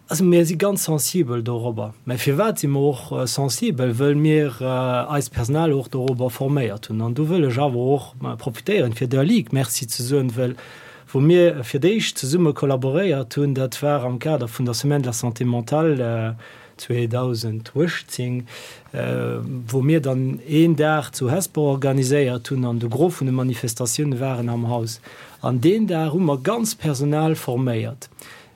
Also mir si ganz sensibel dorobber. Mä firwat si mer och sensibel? Wëll mir eist Personal och dorobber forméiert hunn. An do wëll ech awer och profitéieren, fir der Ligue Merci ze soen, wëll wou mir fir d'éischt zesumme kollaboréiert hunn, dat war am Kader vun der Semaine de la santé mentale 2018, wou mir dann een Dag zu Hesper organiséiert hunn an de Gros vun de Manifestatioune waren am Haus. An deen Dag hu mer ganz Personal forméiert.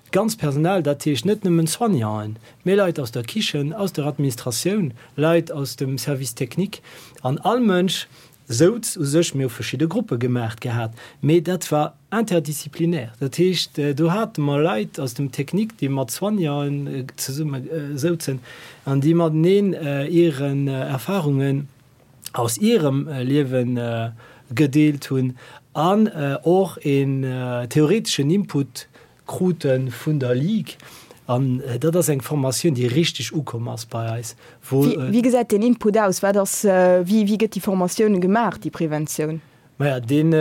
D'ganz Personal, dat heescht net nëmmen Soignanten, mee Leit aus der Kichen, aus der Administratioun, Leit aus dem Service technique an all Mënsch souz u sech. Mir hu verschidde Gruppe gemaacht gehat, mee dat war interdisziplinär. Dat heescht, do hate mer Leit aus dem Technique, déi mat Soignanten zesumme souzen an déi mateneen hiren Erfarungen aus hirem Liewe gedeelt hunn an och een theoreteschen Input krute vun der Ligue. An dat ass eng Formatioun, déi richteg ukomm ass bei eis, wou. Wéi gesäit deen Input aus? Wat ass, wéi, wéi gëtt déi Formatioun gemaach, déi Preventioun? Maja, deen,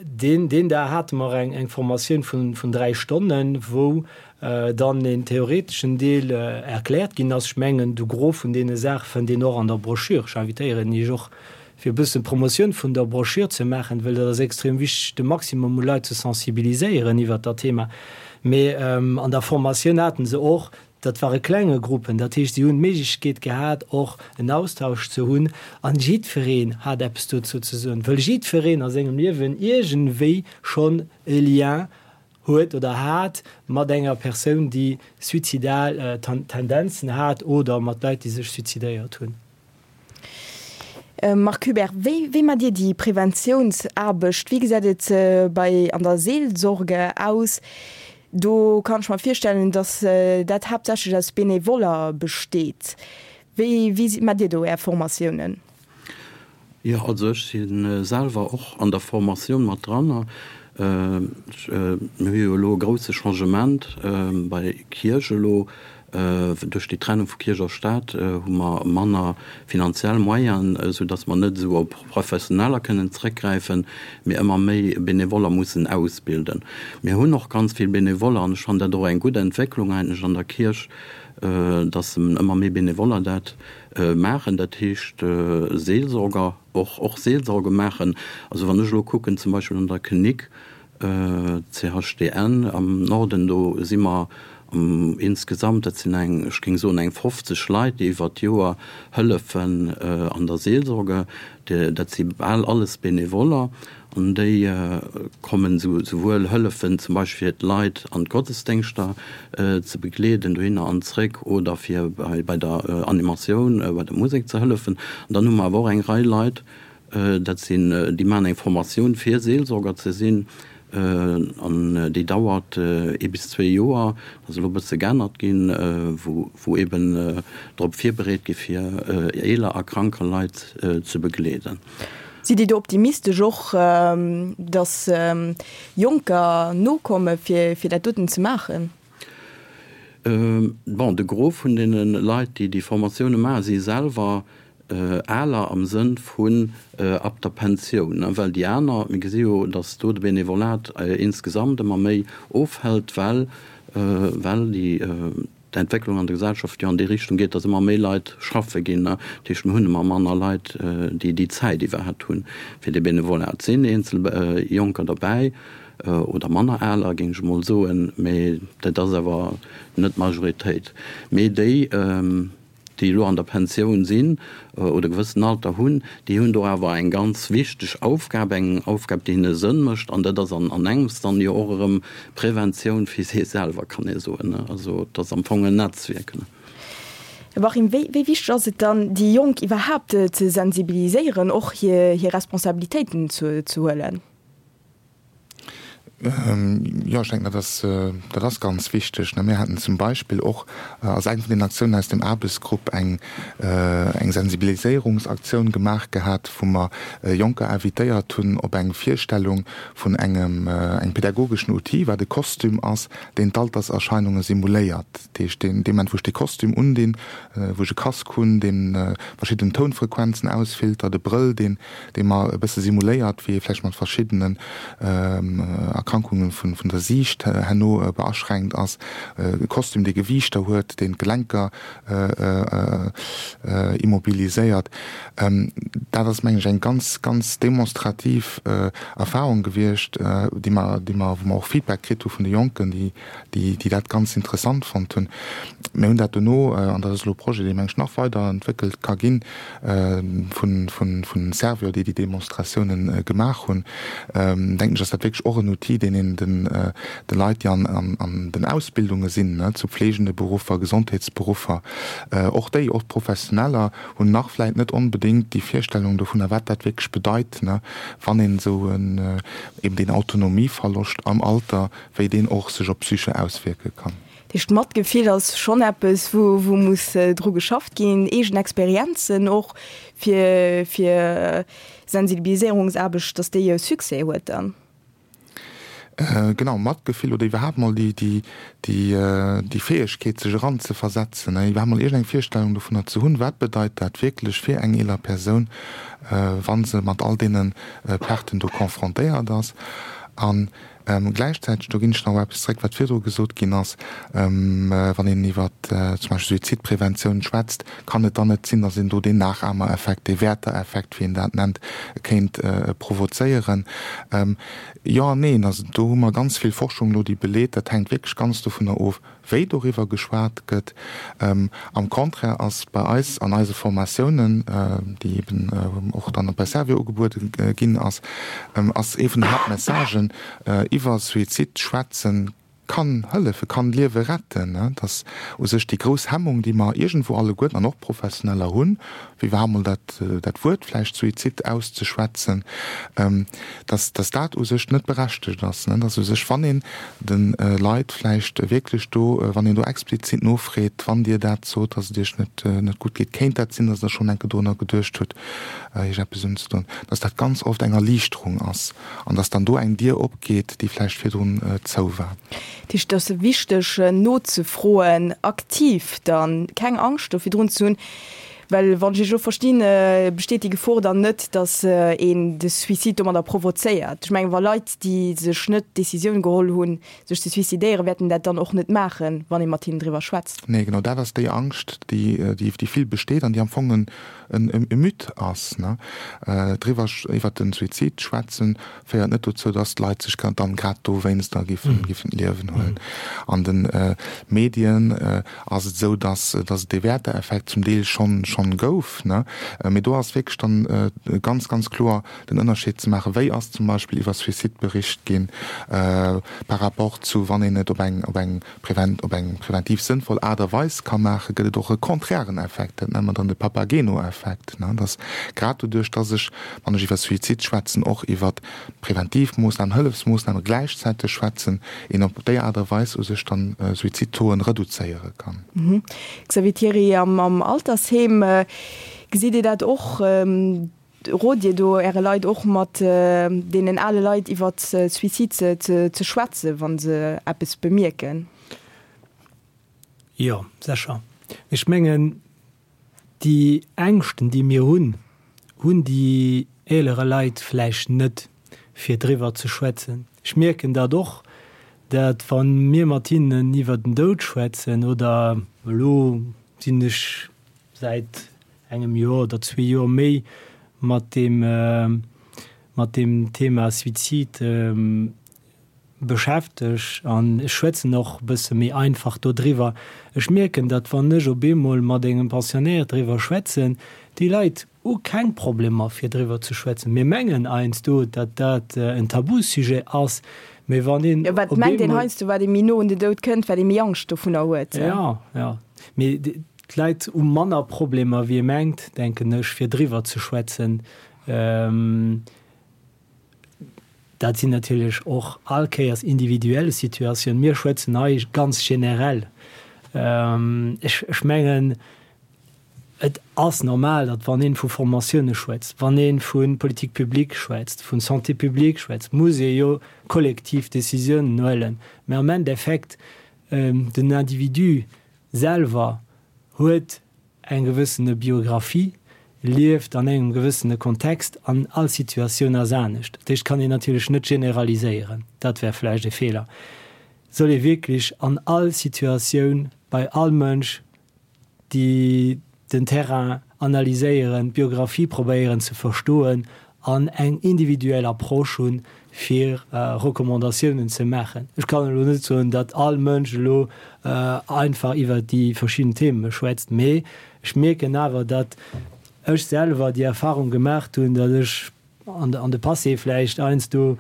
deen, deen Dag hate mer eng, eng Formatioun vun, vun 3 Stonnen, wou dann een theoreteschen Deel erkläert ginn ass. Ech mengen, de Gros vun deene Saache fënnt een och an der Broschür. Ech invitéieren Iech och. fir e bëssen Promotioun vun der Broschür ze maachen, well dat ass extrem wichteg, de Maximum u Leit ze sensibiliséieren iwwert dat Thema. Mee an der Formatioun haten se och, dat ware klenge Gruppen, dat heescht, si hunn d'Méiglechkeet gehat, och en Austausch ze hunn an jiddwereen hat eppes dozou ze soen, wëll jiddwereen a sengem Liewen iergendwéi schonn e Lien huet oder hat mat enger Persoun, déi suizidal Tendenzen hat oder mat Leit, déi sech suizidéiert hunn. Marc Hubert, wéi wéi maacht Dir déi Preventiounsaarbecht? Wéi gesäit et bei an der Seelsorge aus? Do kann ech mer virstellen, datt dat haaptsächlech aus Benevoller besteet. Wéi wéi maacht Dir do Är Formatiounen? Jo, also ech si selwer och an der Formatioun mat dran. Mir hu jo elo e grousse Changement bei Kierch elo. Duerch déi Trennung vu Kierch a Staat hu mer manner finanziell Moyenen, esou datt mer net esou op Professioneller kënnen zréckgräifen, mee ëmmer méi Benevoller mussen ausbilden. Mir hunn och ganz vill Benevoller an ech fannen dat och eng gutt Entwécklung eigentlech an der Kierch, datt ëmmer méi Benevoller dat maachen, dat heescht Seelsorger, och och Seelsorge maachen. Also wann ech elo kucken zum Beispill an der Klinik CHDN am Norden, do si mer insgesamt, dat sinn eng, ech géing soen eng 50 Leit, déi iwwert d'Joer hëllefen an der Seelsorge. Dat si bal alles Benevoller an déi kommen souwuel hëllefen zum Beispill fir d'Leit an d'Gottesdéngschter ze begleeden dohinner an zréck oder fir bei der Animatioun, bei der Musek ze hëllefen. An dann hu mer awer och eng Rei Leit, dat sinn, déi maachen eng Formatioun fir Seelsorger ze sinn an déi dauert ee bis zwee Joer. Dat ass elo e bësse geännert ginn, wou eeben drop virbereet gi fir eeler a kranker Leit ze begleeden. Sidd Dir do optimistesch och, datt Jonker nokomme fir dat doten ze maachen? Bon, de Gros vun deene Leit, déi déi Formatioune maachen, si selwer aler am Sënn vun ab der Pensioun, well déi aner, mir gesi jo, datt do de Benevolat insgesamt ëmmer méi ofhält, well well déi d'Entwécklung an der Gesellschaft jo an déi Richtung geet, datt ëmmer méi Leit schaffe ginn. Dat heescht, mir hunn ëmmer manner Leit, déi déi Zäit iwwerhaapt hunn fir dee Benevolat. Et sinn eenzel Jonker derbäi oder manner aler, géing ech emol soen, mee dat ass awer net d'Majoritéit. Mee déi, déi elo an der Pensioun sinn oder e gewëssen Alter hunn, déi hunn do awer eng ganz wichteg Aufgab, eng Aufgab, déi hinne Sënn mécht. An dat ass an engems dann jo och erëm Preventioun fir si selwer, kann ee soen. Also et ass am Fong en Netzwierk. Här Wachim, wéi wichteg ass et dann, déi Jonk iwwerhaapt ze sensibiliséieren, och hir Responsabilitéiten ze huelen? Jo, ech denken, dat ass, dat ass ganz wichteg. Mir haten zum Beispill och als eng vun den Aktiounen aus dem Aarbechtsgrupp eng, eng Sensibiliséierungsaktioun gemaach gehat, wou mer Jonker invitéiert hunn op eng Virstellung vun engem, engem pädagogeschen Outil, wat e Kostüm ass, deen d'Alterserscheinunge simuléiert. Dat heescht, deen, dee Moment, wou ech dee Kostüm undinn, wou ech e Casque hunn, dee verschidden Tounfrequenzen ausfiltert, e Brëll, deen, dee mer e bësse simuléiert, wéi ee vläicht mat verschiddenen Erkrankungen vun der Siicht herno beaschränkt ass, e Kostüm, dee Gewiichter huet, deen d'Gelenker immobiliséiert. Dat ass, mengen ech, eng ganz, ganz demonstrativ Erfahrung gewiescht, déi mer, déi mer, wou mer och Feedback kritt hu vun de Jonken, déi, déi dat ganz interessant fonnt hunn. Mir hunn dat dono, an dat ass elo e Projet, dee meng ech nach weider entwéckelt ka ginn, vun Servior, déi déi Demonstratiounen gemaach hunn, denken ech, ass dat wierklech och en Outil, deen een de Leit, déi an den Ausbildunge sinn, zu pflegende Beruffer, Gesondheetsberuffer, och déi, och d'Professioneller hunn nach vläit net onbedéngt déi Virstellung dovunner, wat dat wierklech bedeit, wann een esou eben deen Autonomieverloscht am Alter, wéi deen och sech op d'Psyche auswierke kann. Dat heescht, Matgefill ass schonn eppes, wou wou muss dru geschafft ginn, eegen Experienzen och fir fir Sensibiliséierungsaarbecht, datt déi e Succès huet dann. Genau, Matgefill oder iwwerhaapt mol déi déi déi déi Fäegkeet sech eranzeversetzen, iwwerhaapt mol iergendeng Virstellung dovunner ze hunn, wat bedeit dat wierklech fir eng eeler Persoun, wa se mat all deene Perten do confrontéiert ass. An. Gläichzäiteg, do ginn ech nach op eppes zréck, wat virdru gesot ginn ass, wann een iwwer zum Beispill Suizidpreventioun schwätzt, kann et dann net sinn, datt een do deen Nachahmereffekt, dee Werther-Effekt, wéi een dat nennt, kéint provozéieren? Jo an neen. Also do hu mer ganz vill Forschung elo, déi beleet, dat hänkt wierklech ganz dovunner of, wéi doriwwer geschwat gëtt. Am Contraire ass bei eis an eise Formatiounen, déi eben och dann bei Servior ugebuede ginn ass, ass ee vun den Haaptmessagen, iwwer Suizid schwätzen kann hëllefen, kann Liewe retten. Dass u sech déi grouss Hemmung, déi mer iergendwou alleguerten an och Professioneller hunn, wéi iwwerhaapt mol dat, dat Wuert vläicht Suizid auszeschwätzen, dass, dass dat u sech net berechtegt ass, dass u sech, wann een de Leit vläicht wierklech do, wann een do explizit nofreet, wann Dir dat sot, dass et Iech net, net gutt geet, kéint dat sinn, dass Der schonn eng Kéier dorunner geduecht hutt, Iech eppes unzedoen, dass dat ganz oft eng Erliichterung ass an dass dann do eng Dier opgeet, déi vläicht virdrun zou war. Dat heescht, et ass wichteg nozefroen, aktiv dann, keng Angscht do virdrun ze hunn. Well wann ech Iech elo verstinn, besteet déi Gefor dann net, datt een de Suicide domadder provozéiert. Ech mengen, wa Leit, déi sech net d'Decisioun geholl hunn, sech ze suicidéieren, wäerten dat dann och net maachen, wann ee mat hinnen driwwer schwätzt. Nee, genau dat ass déi Angscht, déi déi vill besteet an déi am Fong en e Mythe ass. Driwwer, iwwert de Suizid schwätzen, féiert net dozou, dass d'Leit sech dann grad dowéinster giffen d'Liewen huelen. An de Medien ass et esou, dass dass et dee Werther-Effekt zum Deel schonn schonn gouf, ne? Mee do ass wierklech dann ganz, ganz kloer den Ënnerscheed ze maachen, wéi ass zum Beispill iwwer Suicide bericht ginn par rapport zu wann een et op eng op eng prevent op eng preventiv sënnvoll Aart a Weis ka maachen, gëtt et och e konträren Effekt, dat nenne mer dann de Papageno-Effekt, ne? Dass grad doduerch, dass ech, wann ech iwwer Suicide schwätzen, och iwwer Preventivmoossnamen, Hëllefsmoossname gläichzäiteg schwätzen, een op déi Aart a Weis u sech dann Suizidtauxen reduzéiere kann. Xavier Thiry, Am Altersheem gesitt Dir dat och? Rot Dir do Äre Leit och mat deenen ale Leit iwwer Suicide ze schwätzen, wa se eppes bemierken? Jo, sécher. Ech mengen, Déi Ängschten, déi mir hunn, hunn déi eelere Leit vläicht net, fir driwwer ze schwätzen. Ech mierken dat och, dat wa mir mat hinnen iwwer den Doud schwätzen, oder elo sinn ech säit engem Joer oder zwee Joer méi mat deem, mat deem Thema Suizid beschäftegt an ech schwätzen och e bësse méi einfach dodriwwer. Ech mierken, datt wann ech op eemol mat engem Pensionnaire driwwer schwätzen, déi Leit hu keng Problemer fir driwwer ze schwätzen. Mir mengen heiansdo, datt dat en Tabusujet ass, mee wann een Jo, wat op mengt een eemol. heiansdo, wat ee méi no un den Doud kënnt, wat ee méi Angscht dovunner huet. Jo, jo, mee d'Leit hu manner Problemer wéi ee mengt, denken ech, fir driwwer ze schwätzen. Dat sinn natierlech och all Kéiers individuell Situatiounen. Mir schwätzen hei ganz generell. Ech mengen, et ass normal, datt wann ee vu Formatioune schwätzt, wann ee vu Politique publique schwätzt, vu Santé publique schwätzt, muss ee jo kollektiv Décisiounen huelen. Mä am Endeffekt, den Individu selwer huet eng gewëssene Biographie, lieft an engem gewëssene Kontext an all Situatioun ass anescht. Dat heescht, kann een natierlech net generaliséieren, dat wär vläicht e Feeler. Soll ee wierklech an all Situatioun bei all Mënsch déi den Terrain analyséieren, d'Biographie probéieren ze verstoen an eng individuell Approche hunn, fir Recommandatiounen ze maachen. Ech kann elo net soen, datt all Mënsch elo einfach iwwert déi verschidden Theme schwätzt, mee ech mierken awer, datt ech selwer déi Erfahrung gemaacht hunn, datt ech an de Passé vläicht heiansdo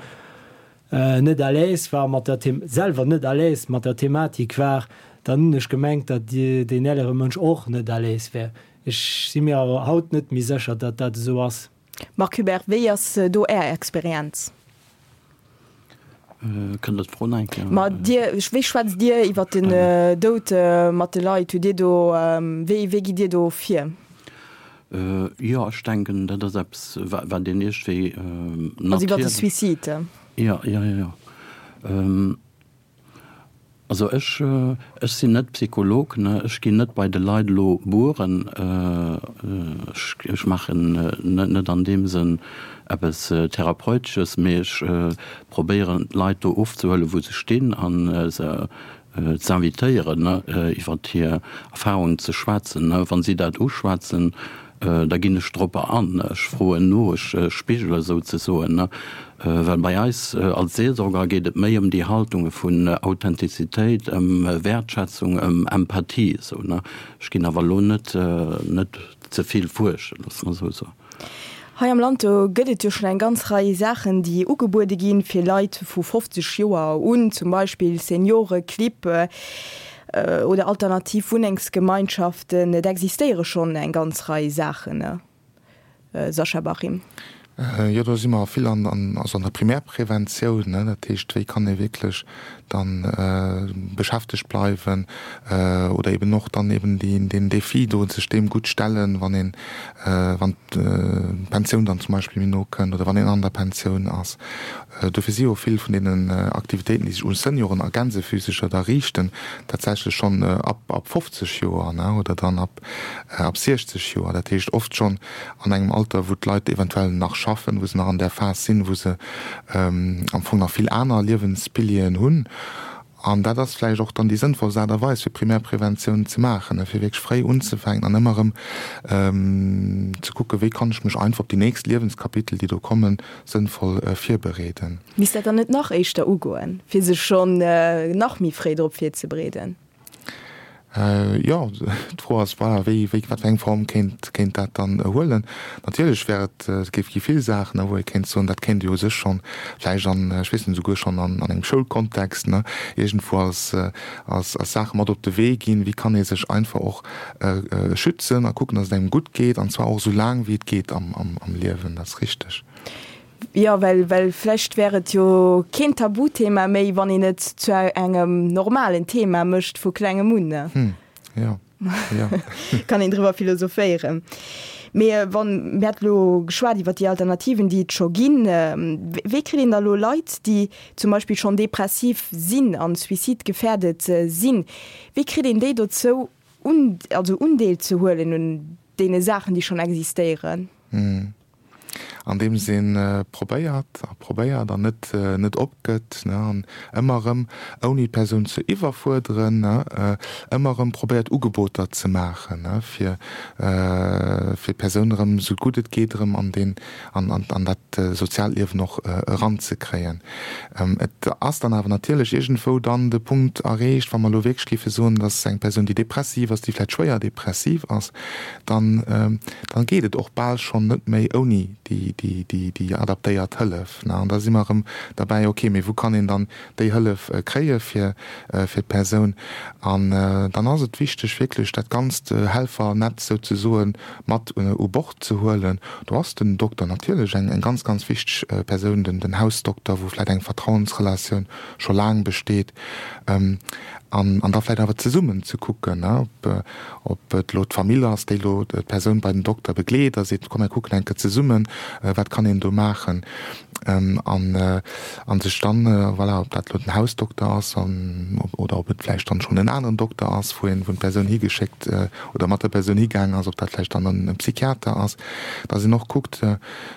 net à l'aise war mat der Them, selwer net à l'aise mat der Thematik war, dann hunn ech gemengt, datt deen eelere Mënsch och net à l'aise wär. Ech si mir awer haut net méi sécher, datt dat esou ass. Marc Hubert, wéi ass do Är Experienz? Kënnt Der d'Fro nach eng Kéier? Ma Dir, wéi schwätzt Dir iwwer den Doud mat de Leit? Hutt Dir do, wéi, wéi gitt Dir do vir? Jo, ech denken, dat ass eppes, wat een iergendwéi natierlech. Also iwwer de Suicide? Jo, jo, jo, jo. Also ech, ech sinn net Psycholog, ne, ech ginn net bei de Leit elo bueren, ech, ech maachen net, net an deem Sënn eppes Therapeutesches, mee ech probéieren d'Leit do ofzehuelen, wou se stinn a se ze invitéieren, ne, iwwert hir Erfahrungen ze schwätzen. Ne. Wa si dat uschwätzen, da ginn ech dropper an, ech froen no, ech spigele souzesoen, ne. Well bei eis als Seelsorger geet et méi ëm déi Haltunge vun Authentizitéit, ëm Wäertschätzung, ëm Empathie esou, ne. Ech ginn awer elo net, net ze vill fuerschen, loosse mer esou soen. Hei am Land, do gëtt et jo schonn eng ganz Rei Saachen, déi ugebuede ginn, fir Leit vu 50 Joer un, zum Beispill Senioreclibb oder alternativ Wunnengsgemeinschaften. Et existéiere schonn eng ganz Rei Saachen. Sascha Bachim. Jo, do si mer vill an, also an der Primärpreventioun, ne, dat heescht, wéi kann ee wierklech dann beschäftegt bleiwen oder eben och dann eben deen Défi do, sech deem gutt stellen, wann een, wann d'Pensioun dann zum Beispill méi no kënnt oder wann een an der Pensioun ass. Dofir si jo vill vun deenen Aktivitéiten, déi sech u Senioren a Gänsefüsecher da riichten, tatsächlech schonn ab 50 Joer, ne, oder dann ab ab 60 Joer. Dat heescht oft schonn an engem Alter, wou d'Leit eventuell nach schaffen, wou se nach an där Phas sinn, wou se am Fong nach vill aner Liewenspilieren hunn. An dat ass vläicht och dann déi sënnvollst Aart a Weis, fir Primärpreventioun ze maachen, fir wierklech fréi unzefänken an ëmmer erëm ze kucken, wéi kann ech mech einfach op déi nächst Liewenskapitel, déi do kommen, sënnvoll virbereeden. Misst dat dann net nach éischter ugoen, fir sech schonn nach méi fréi drop virzebereeden? Jo, d'Fro ass, voilà, wéi, wéi, wat fir eng Form kéint, kéint dat dann huelen? Natierlech wär et, et géif gi vill Saachen, wou ee kéint soen, dat kéint ee u sech schonn vläicht an, ech weess net, esouguer schonn an, an engem Schoulkontext, ne, iergendwou als, als, als Saach mat op de Wee ginn, wéi kann ee sech einfach och schützen a kucken, datt et engem gutt geet, an zwar och esou laang wéi et geet am, am, am Liewen. Dat ass richteg. Jo, well, well vläicht wär et jo keen Tabuthema méi, wann een et zu engem normalen Thema mécht vu klengem un, ne? Hm, jo, jo. Kann een driwwer philosophéieren. Mee wann, mir hate lo geschwat iwwer déi Alternativen, déi et scho ginn. Wéi kritt een da lo Leit, déi zum Beispill schonn depressiv sinn an suizidgefährdet sinn, wéi kritt een déi dozou, un, also Undeel ze huelen un deene Saachen, déi schonn existéieren? Hm. Andeems ee probéiert a probéiert an net net opgëtt, ne, an ëmmer erëm, ouni d'Persoun ze iwwerfuerderen, ne, ëmmer erëm probéiert Ugeboter ze maachen, ne, fir fir d'Persoun erëm esou gutt et geet erëm an deen an an an dat soziaalt Liewen och eranzekréien. Et ass dann awer natierlech iergendwou dann de Punkt erreecht, wa mer elo wierklech géife soen, dass eng Persoun, déi depressiv ass, déi vläicht schwéier depressiv ass, dann, dann geet et och bal schonn net méi ouni déi, déi, déi, déi adaptéiert Hëllef. An da si mer erëm derbäi, okay, mee wou kann een dann déi Hëllef kréie fir, fir d'Persoun? An dann ass et wichteg, wierklech dat ganzt Helfernetz souzesoe mat u Bord ze huelen. Do ass den Dokter natierlech eng, eng ganz, ganz wichteg Persoun, den, den Hausdokter, wou vläicht eng Vertrauensrelatioun scho laang besteet. An, an da vläicht awer zesummen ze kucken, ob, ob et elo d'Famill ass, déi elo d'Persoun bei den Dokter begleet a seet, komm mir kucken eng Kéier zesummen, wat kann een do maachen. An, an sech dann, voilà, ob dat elo den Hausdokter ass an, oder ob et vläicht dann schonn en aneren Dokter ass, wou een, wou d'Persoun higeschéckt oder mat der Persoun higaangen ass, ob dat vläicht dann e Psychiater ass, dass een och kuckt,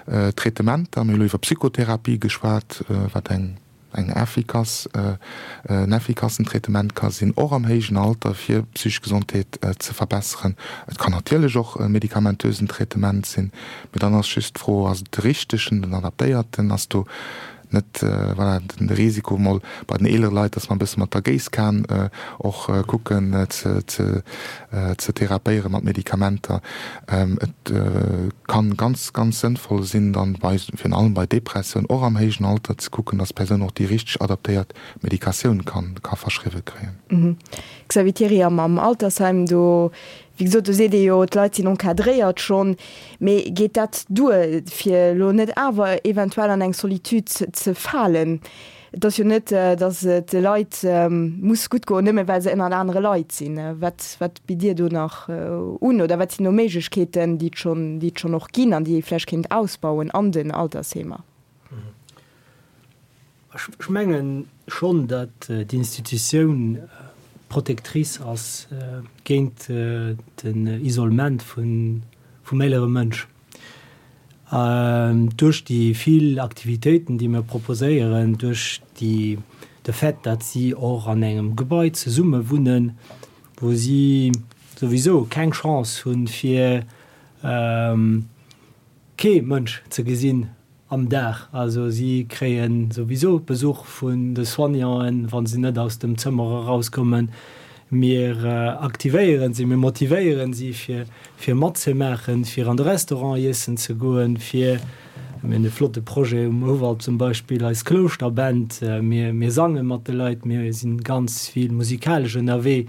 Traitementer, mir hu elo iwwer Psychotherapie geschwat, wat eng, eng effikass, en effikassen Traitement ka sinn, och am héijen Alter, fir d'psychesch Gesondheet ze verbesseren. Et kann natierlech och e medikamentösen Traitement sinn, mee dann ass just d'Fro, Ass et de richtegen, den adaptéierten? Ass do net, voilà, de Risiko mol bei den eelere Leit, dass mer e bësse mat der Géisskan och kucken ze, ze, ze therapéiere mat Medikamenter? Et kann ganz, ganz sënnvoll sinn, dann bei, virun allem bei Depressioun, och am héijen Alter, ze kucken, dass d'Persoun och déi richteg adaptéiert Medikatioun kann, ka verschriwwe kréien. Xavier Thiry, Am, am Altersheim, do, wéi gesot, do seet ee jo, d'Leit sinn encadréiert schonn. Mee geet dat duer, fir elo net awer eventuell an eng Solitude ze falen? Et ass jo net, datt et de Leit muss gutt goen, nëmme well se ënnert anere Leit sinn. Wat, wat bitt Dir do nach un oder wat sinn do Méiglechkeeten, déi et schonn, déi et schonn och ginn an déi ee vläicht kéint ausbauen an den Altersheemer? Ech mengen schonn, datt d'Institutioun protectrice ass géint den Isolement vum eelere Mënsch. Duerch déi vill Aktivitéiten, déi mir proposéieren, duerch de Fait, datt si och an engem Gebai zesumme wunnen, wou si souwisou keng Chance hunn, fir kee Mënsch ze gesinn am Dag. Also si kréie souwisou Besuch vun de Soignanten, wa se net aus dem Zëmmer erauskommen. Mir aktivéieren si, mir motivéieren si fir fir matzemaachen, fir an de Restaurant iessen ze goen, fir, mir hunn e flotte Projet um Houwald zum Beispill, eis Klouschterband, mir mir sange mat de Leit, mir si ganz vill musikalesch ënnerwee.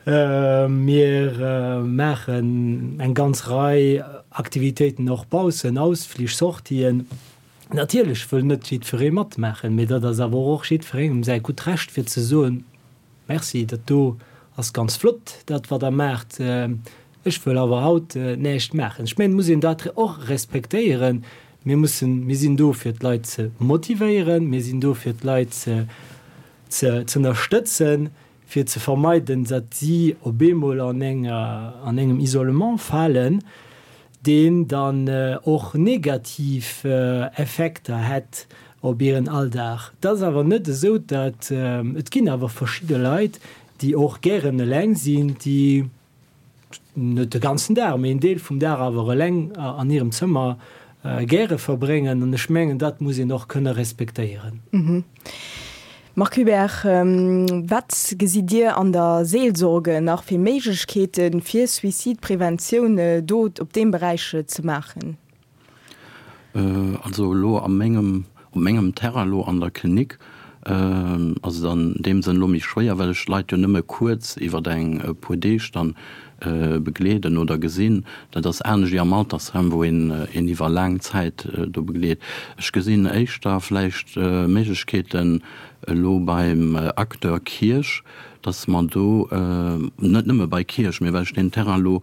Mir maachen eng ganz Rei Aktivitéiten och baussen, Ausflich, Sortien. Natierlech wëll net jiddweree matmaachen, mee dat ass awer och jiddwerengem säi gutt Recht fir ze soen, Merci, dat do ass ganz flott, dat wat Der maacht, ech wëll awer haut näischt maachen. Ech mengen, et muss een dat och respektéieren. Mir mussen, mir sinn do fir d'Leit ze motivéieren, mir sinn do fir d'Leit ze ze ënnerstëtzen, fir ze vermeiden, datt si op eemol an enger, an engem Isolement falen, deen dann och negativ Effekter hätt op hiren Alldag. Et ass awer net esou, datt, et ginn awer verschidde Leit, déi och gären eleng sinn, déi net de ganzen Dag, mee en Deel vum Dag awer eleng an hirem Zëmmer gäre verbréngen. An ech mengen, dat muss een och kënne respektéieren. Marc Hubert, wat gesitt Dir an der Seelsorge nach fir Méiglechkeeten, fir Suizidpreventioun do op deem Beräich ze maachen? Also elo a mengem, op mengem Terrain elo an der Klinik ass et an deem Sënn elo méi schwéier, well ech d'Leit jo nëmme kuerz iwwer eng e puer Deeg dann begleeden oder gesinn. Dat ass anescht wéi am Altersheim, wou een een iwwer laang Zäit do begleet. Ech gesinn éischter vläicht Méiglechkeeten elo beim Acteur Kierch, dass mer do, net nëmme bei Kierch, mee well ech deen Terrain elo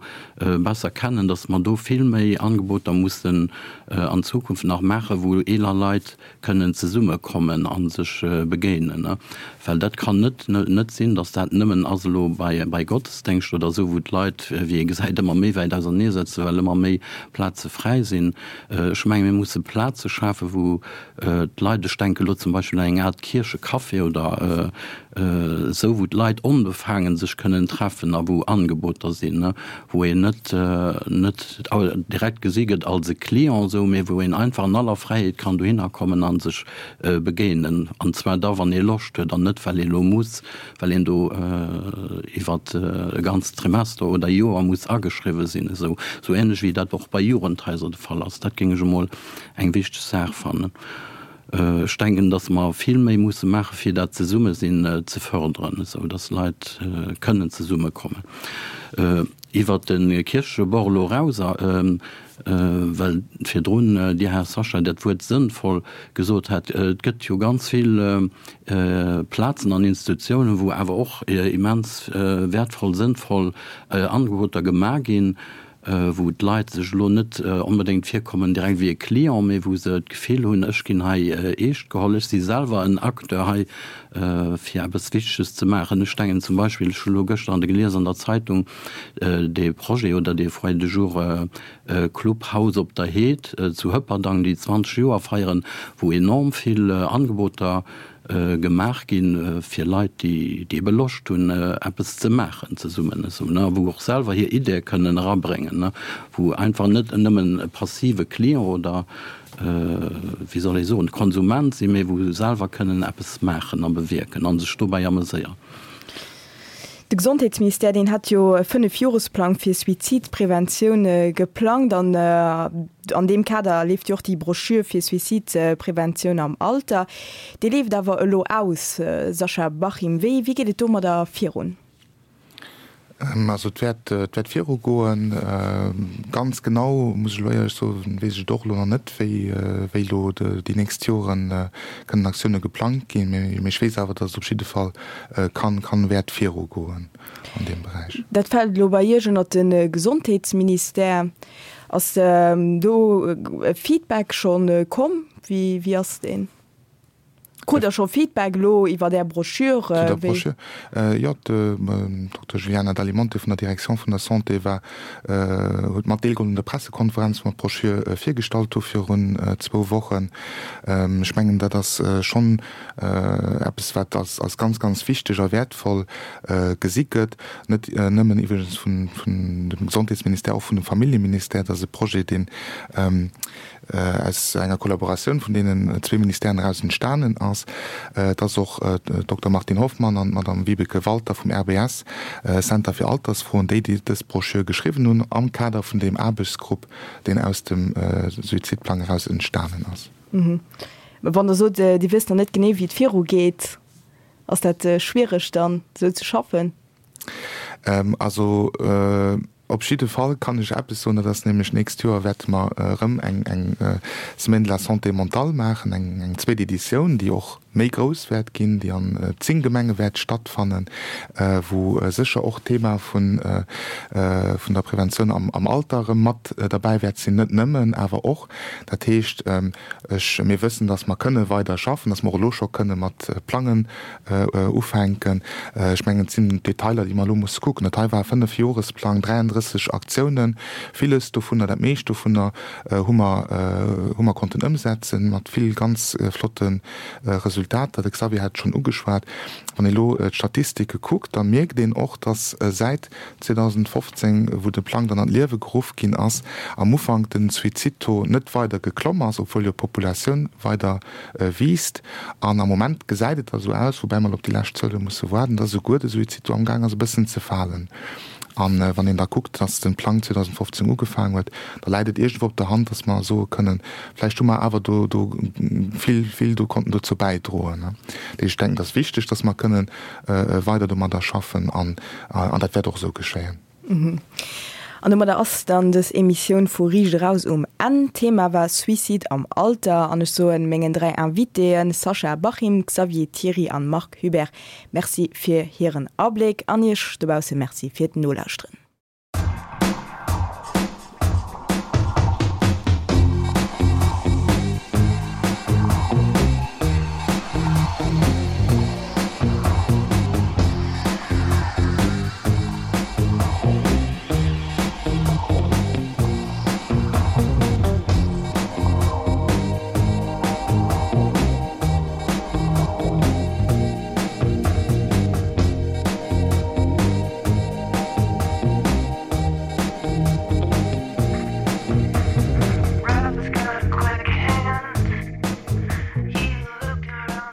besser kennen, dass mer do vill méi Angeboter mussen an Zukunft nach maachen, wou eeler Leit kënnen zesummekommen a sech begéinen. Well dat kann net net sinn, dass dat nëmmen ass elo bei bei Gottesdéngscht oder esou, wou d'Leit, wéi ee gesäit, ëmmer méi wäit ausernee sëtzen, well ëmmer méi Plaze fräi sinn. Ech menge mir musse Plaze schafen, wou d'Leit, ech denke elo zum Beispill un eng Aart Kierchecafé oder esou, wou d'Leit onbefaangen sech kënnen treffen a wou Angeboter sinn, wou een net net direkt gesi gëtt als e Client esou, mee wou een einfach an aller Fräiheet kann dohinner kommen a sech begéinen, an zwar da wann ee Loscht huet an net well ee lo muss, well een do iwwer e ganzt Trimester oder Joer muss ageschriwwe sinn, esou esou ähnlech wéi dat och bei Jugendhaiser de Fall ass. Dat géing ech emol eng wichteg Saach fannen. Ech denken, datt mer vill méi musse maache fir dat Zesummesinn ze förderen, esou datt Leit kënnen zesummekommen. Iwwert de Kierchebord elo eraus, well virdrun Dir, Här Sacha, dat Wuert sënnvoll gesot hat, et gëtt jo ganz vill Plazen an Institutiounen, wou awer och immens wäertvoll, sënnvoll Angeboter gemaach ginn, wou d'Leit sech elo net onbedéngt virkommen direkt wéi e Client, mee wou se d'Gefill hunn, ech ginn hei eescht geholl, ech si selwer en Acteur hei fir eppes Wichteges ze maachen. Ech denken zum Beispill, ech hu elo gëschter an de gelies an der Zeitung, dee Projet oder dee Foyer de jour Club Haus op der Heed zu Hëpperdang, déi 20 Joer feieren, wou enorm vill Angeboter gemaach gi fir Leit, déi ebe Loscht hunn, eppes ze maachen zesummen, esou, ne, a wou och selwer hir Ideeë kënnen erabréngen, ne, wou einfach net nëmmen e passive Client oder, wéi soll ee soen, Konsument sinn, mee wou selwer kënnen eppes maachen a bewierken a sech dobäi ameséieren. De Gesondheetsministère, deen hat jo e Fënnefjoresplang fir Suizidpreventioun geplangt an an deem Kader leeft jo och déi Broschür fir Suizidpreventioun am Alter. Déi leeft awer elo aus. Sascha Bachim, wéi wéi geet et domadder virun? Also et wäert et wäert virugoen. Ganz genau, muss ech elo éierlech soen, weess ech et och elo nach net, wéi wéi elo déi nächst Joren kënnen Aktioune geplangt ginn. Mee ech weess awer, datt et op jidde Fall kann, kann wäert virugoen an deem Beräich. Dat fält elo bei Iech ënnert de Gesondheetsministère. Ass do e Feedback scho komm? Wéi, wéi ass deen? Krut Der scho Feedback elo iwwer Är Broschür? Zu der Broschür? Jo, d'Dokter Juliana D'Alimonte vun der Direction vun der Santé war, huet mat deelgeholl un der Pressekonferenz, wou mer d'Broschür virgestallt hu virun zwou Wochen. Ech mengen, dat ass schonn eppes, wat als, als ganz, ganz wichteg a wäertvoll gesi gëtt, net nëmmen iwwregens vun, vun dem Gesondheetsministère, och vun dem Familljeministère. Dat ass e Projet, deen, aus enger Kollaboratioun vun deenen zwee Ministèren eraus entstanen ass. Et ass och d'Dokter Martine Hoffmann an d'Madame Vibeke Walter vum RBS, Center fir Altersfroen, déi déi dës Broschür geschriwwen hunn am Kader vun deem Aarbechtsgrupp, deen aus dem Suizidplang eraus entstanen ass. Wann Der sot, Dir wësst nach net genee, wéi et virugeet, ass dat schwiereg dann esou ze schaffen? Also Op jidde Fall kann ech eppes soen, dat ass nämlech, D'nächst Joer wäerte mer erëm eng Semaine de la santé mentale maachen, eng zweet Editioun, déi och méi grouss wäert ginn, déi an 10 Gemenge wäert stattfannen, wou sécher och d'Thema vun der Preventioun am Alter erëm mat derbäi wäert sinn, net nëmmen, awer och. Dat heescht, ech, mir wëssen, dass mer kënne weider schaffen, dass mer och elo scho kënne mat plangen, ufänken. Ech mengen, et sinn Detailer, déi mer elo musse kucken. Dat hei war e Fënnefjoresplang, 33 Aktiounen. Villes dovunner, dat meescht dovunner hu mer, hu mer konnten ëmsetzen, mat vill ganz flotte Resultater. De Xavier hat et schonn ugeschwat. Wann ee elo d'Statistike kuckt, da mierkt een och, dass säit 2015, wou de Plang dann an d'Liewe geruff ginn ass, am Ufank den Suizidtaux net weider geklomm ass, obwuel jo d'Populatioun weider wiisst. An am Moment gesäit et da sou aus, woubäi mer elo op déi lescht Zuele musse waarden, dass esouguer de Suizid do amgaang ass e bëssen ze falen. A wann een da kuckt, dass de Plang 2015 ugefaangen huet, da läit et iergendwou op der Hand, dass mer soe kënnen, vläicht hu mer awer do do vill, vill do konnten dozou bäidroen. Dat heescht, ech denken, et ass wichteg, dass mer kënnen weider domadder schaffen an dat wäert och esou geschéien. An domadder ass dann dës Emissioun vu Riicht Eraus um Enn. D'Thema war Suicide am Alter an ech soen mengen 3 Invitéen Sascha Bachim, Xavier Thiry an Marc Hubert Merci fir hiren Abléck an iech dobausse Merci fir d'Nolauschteren.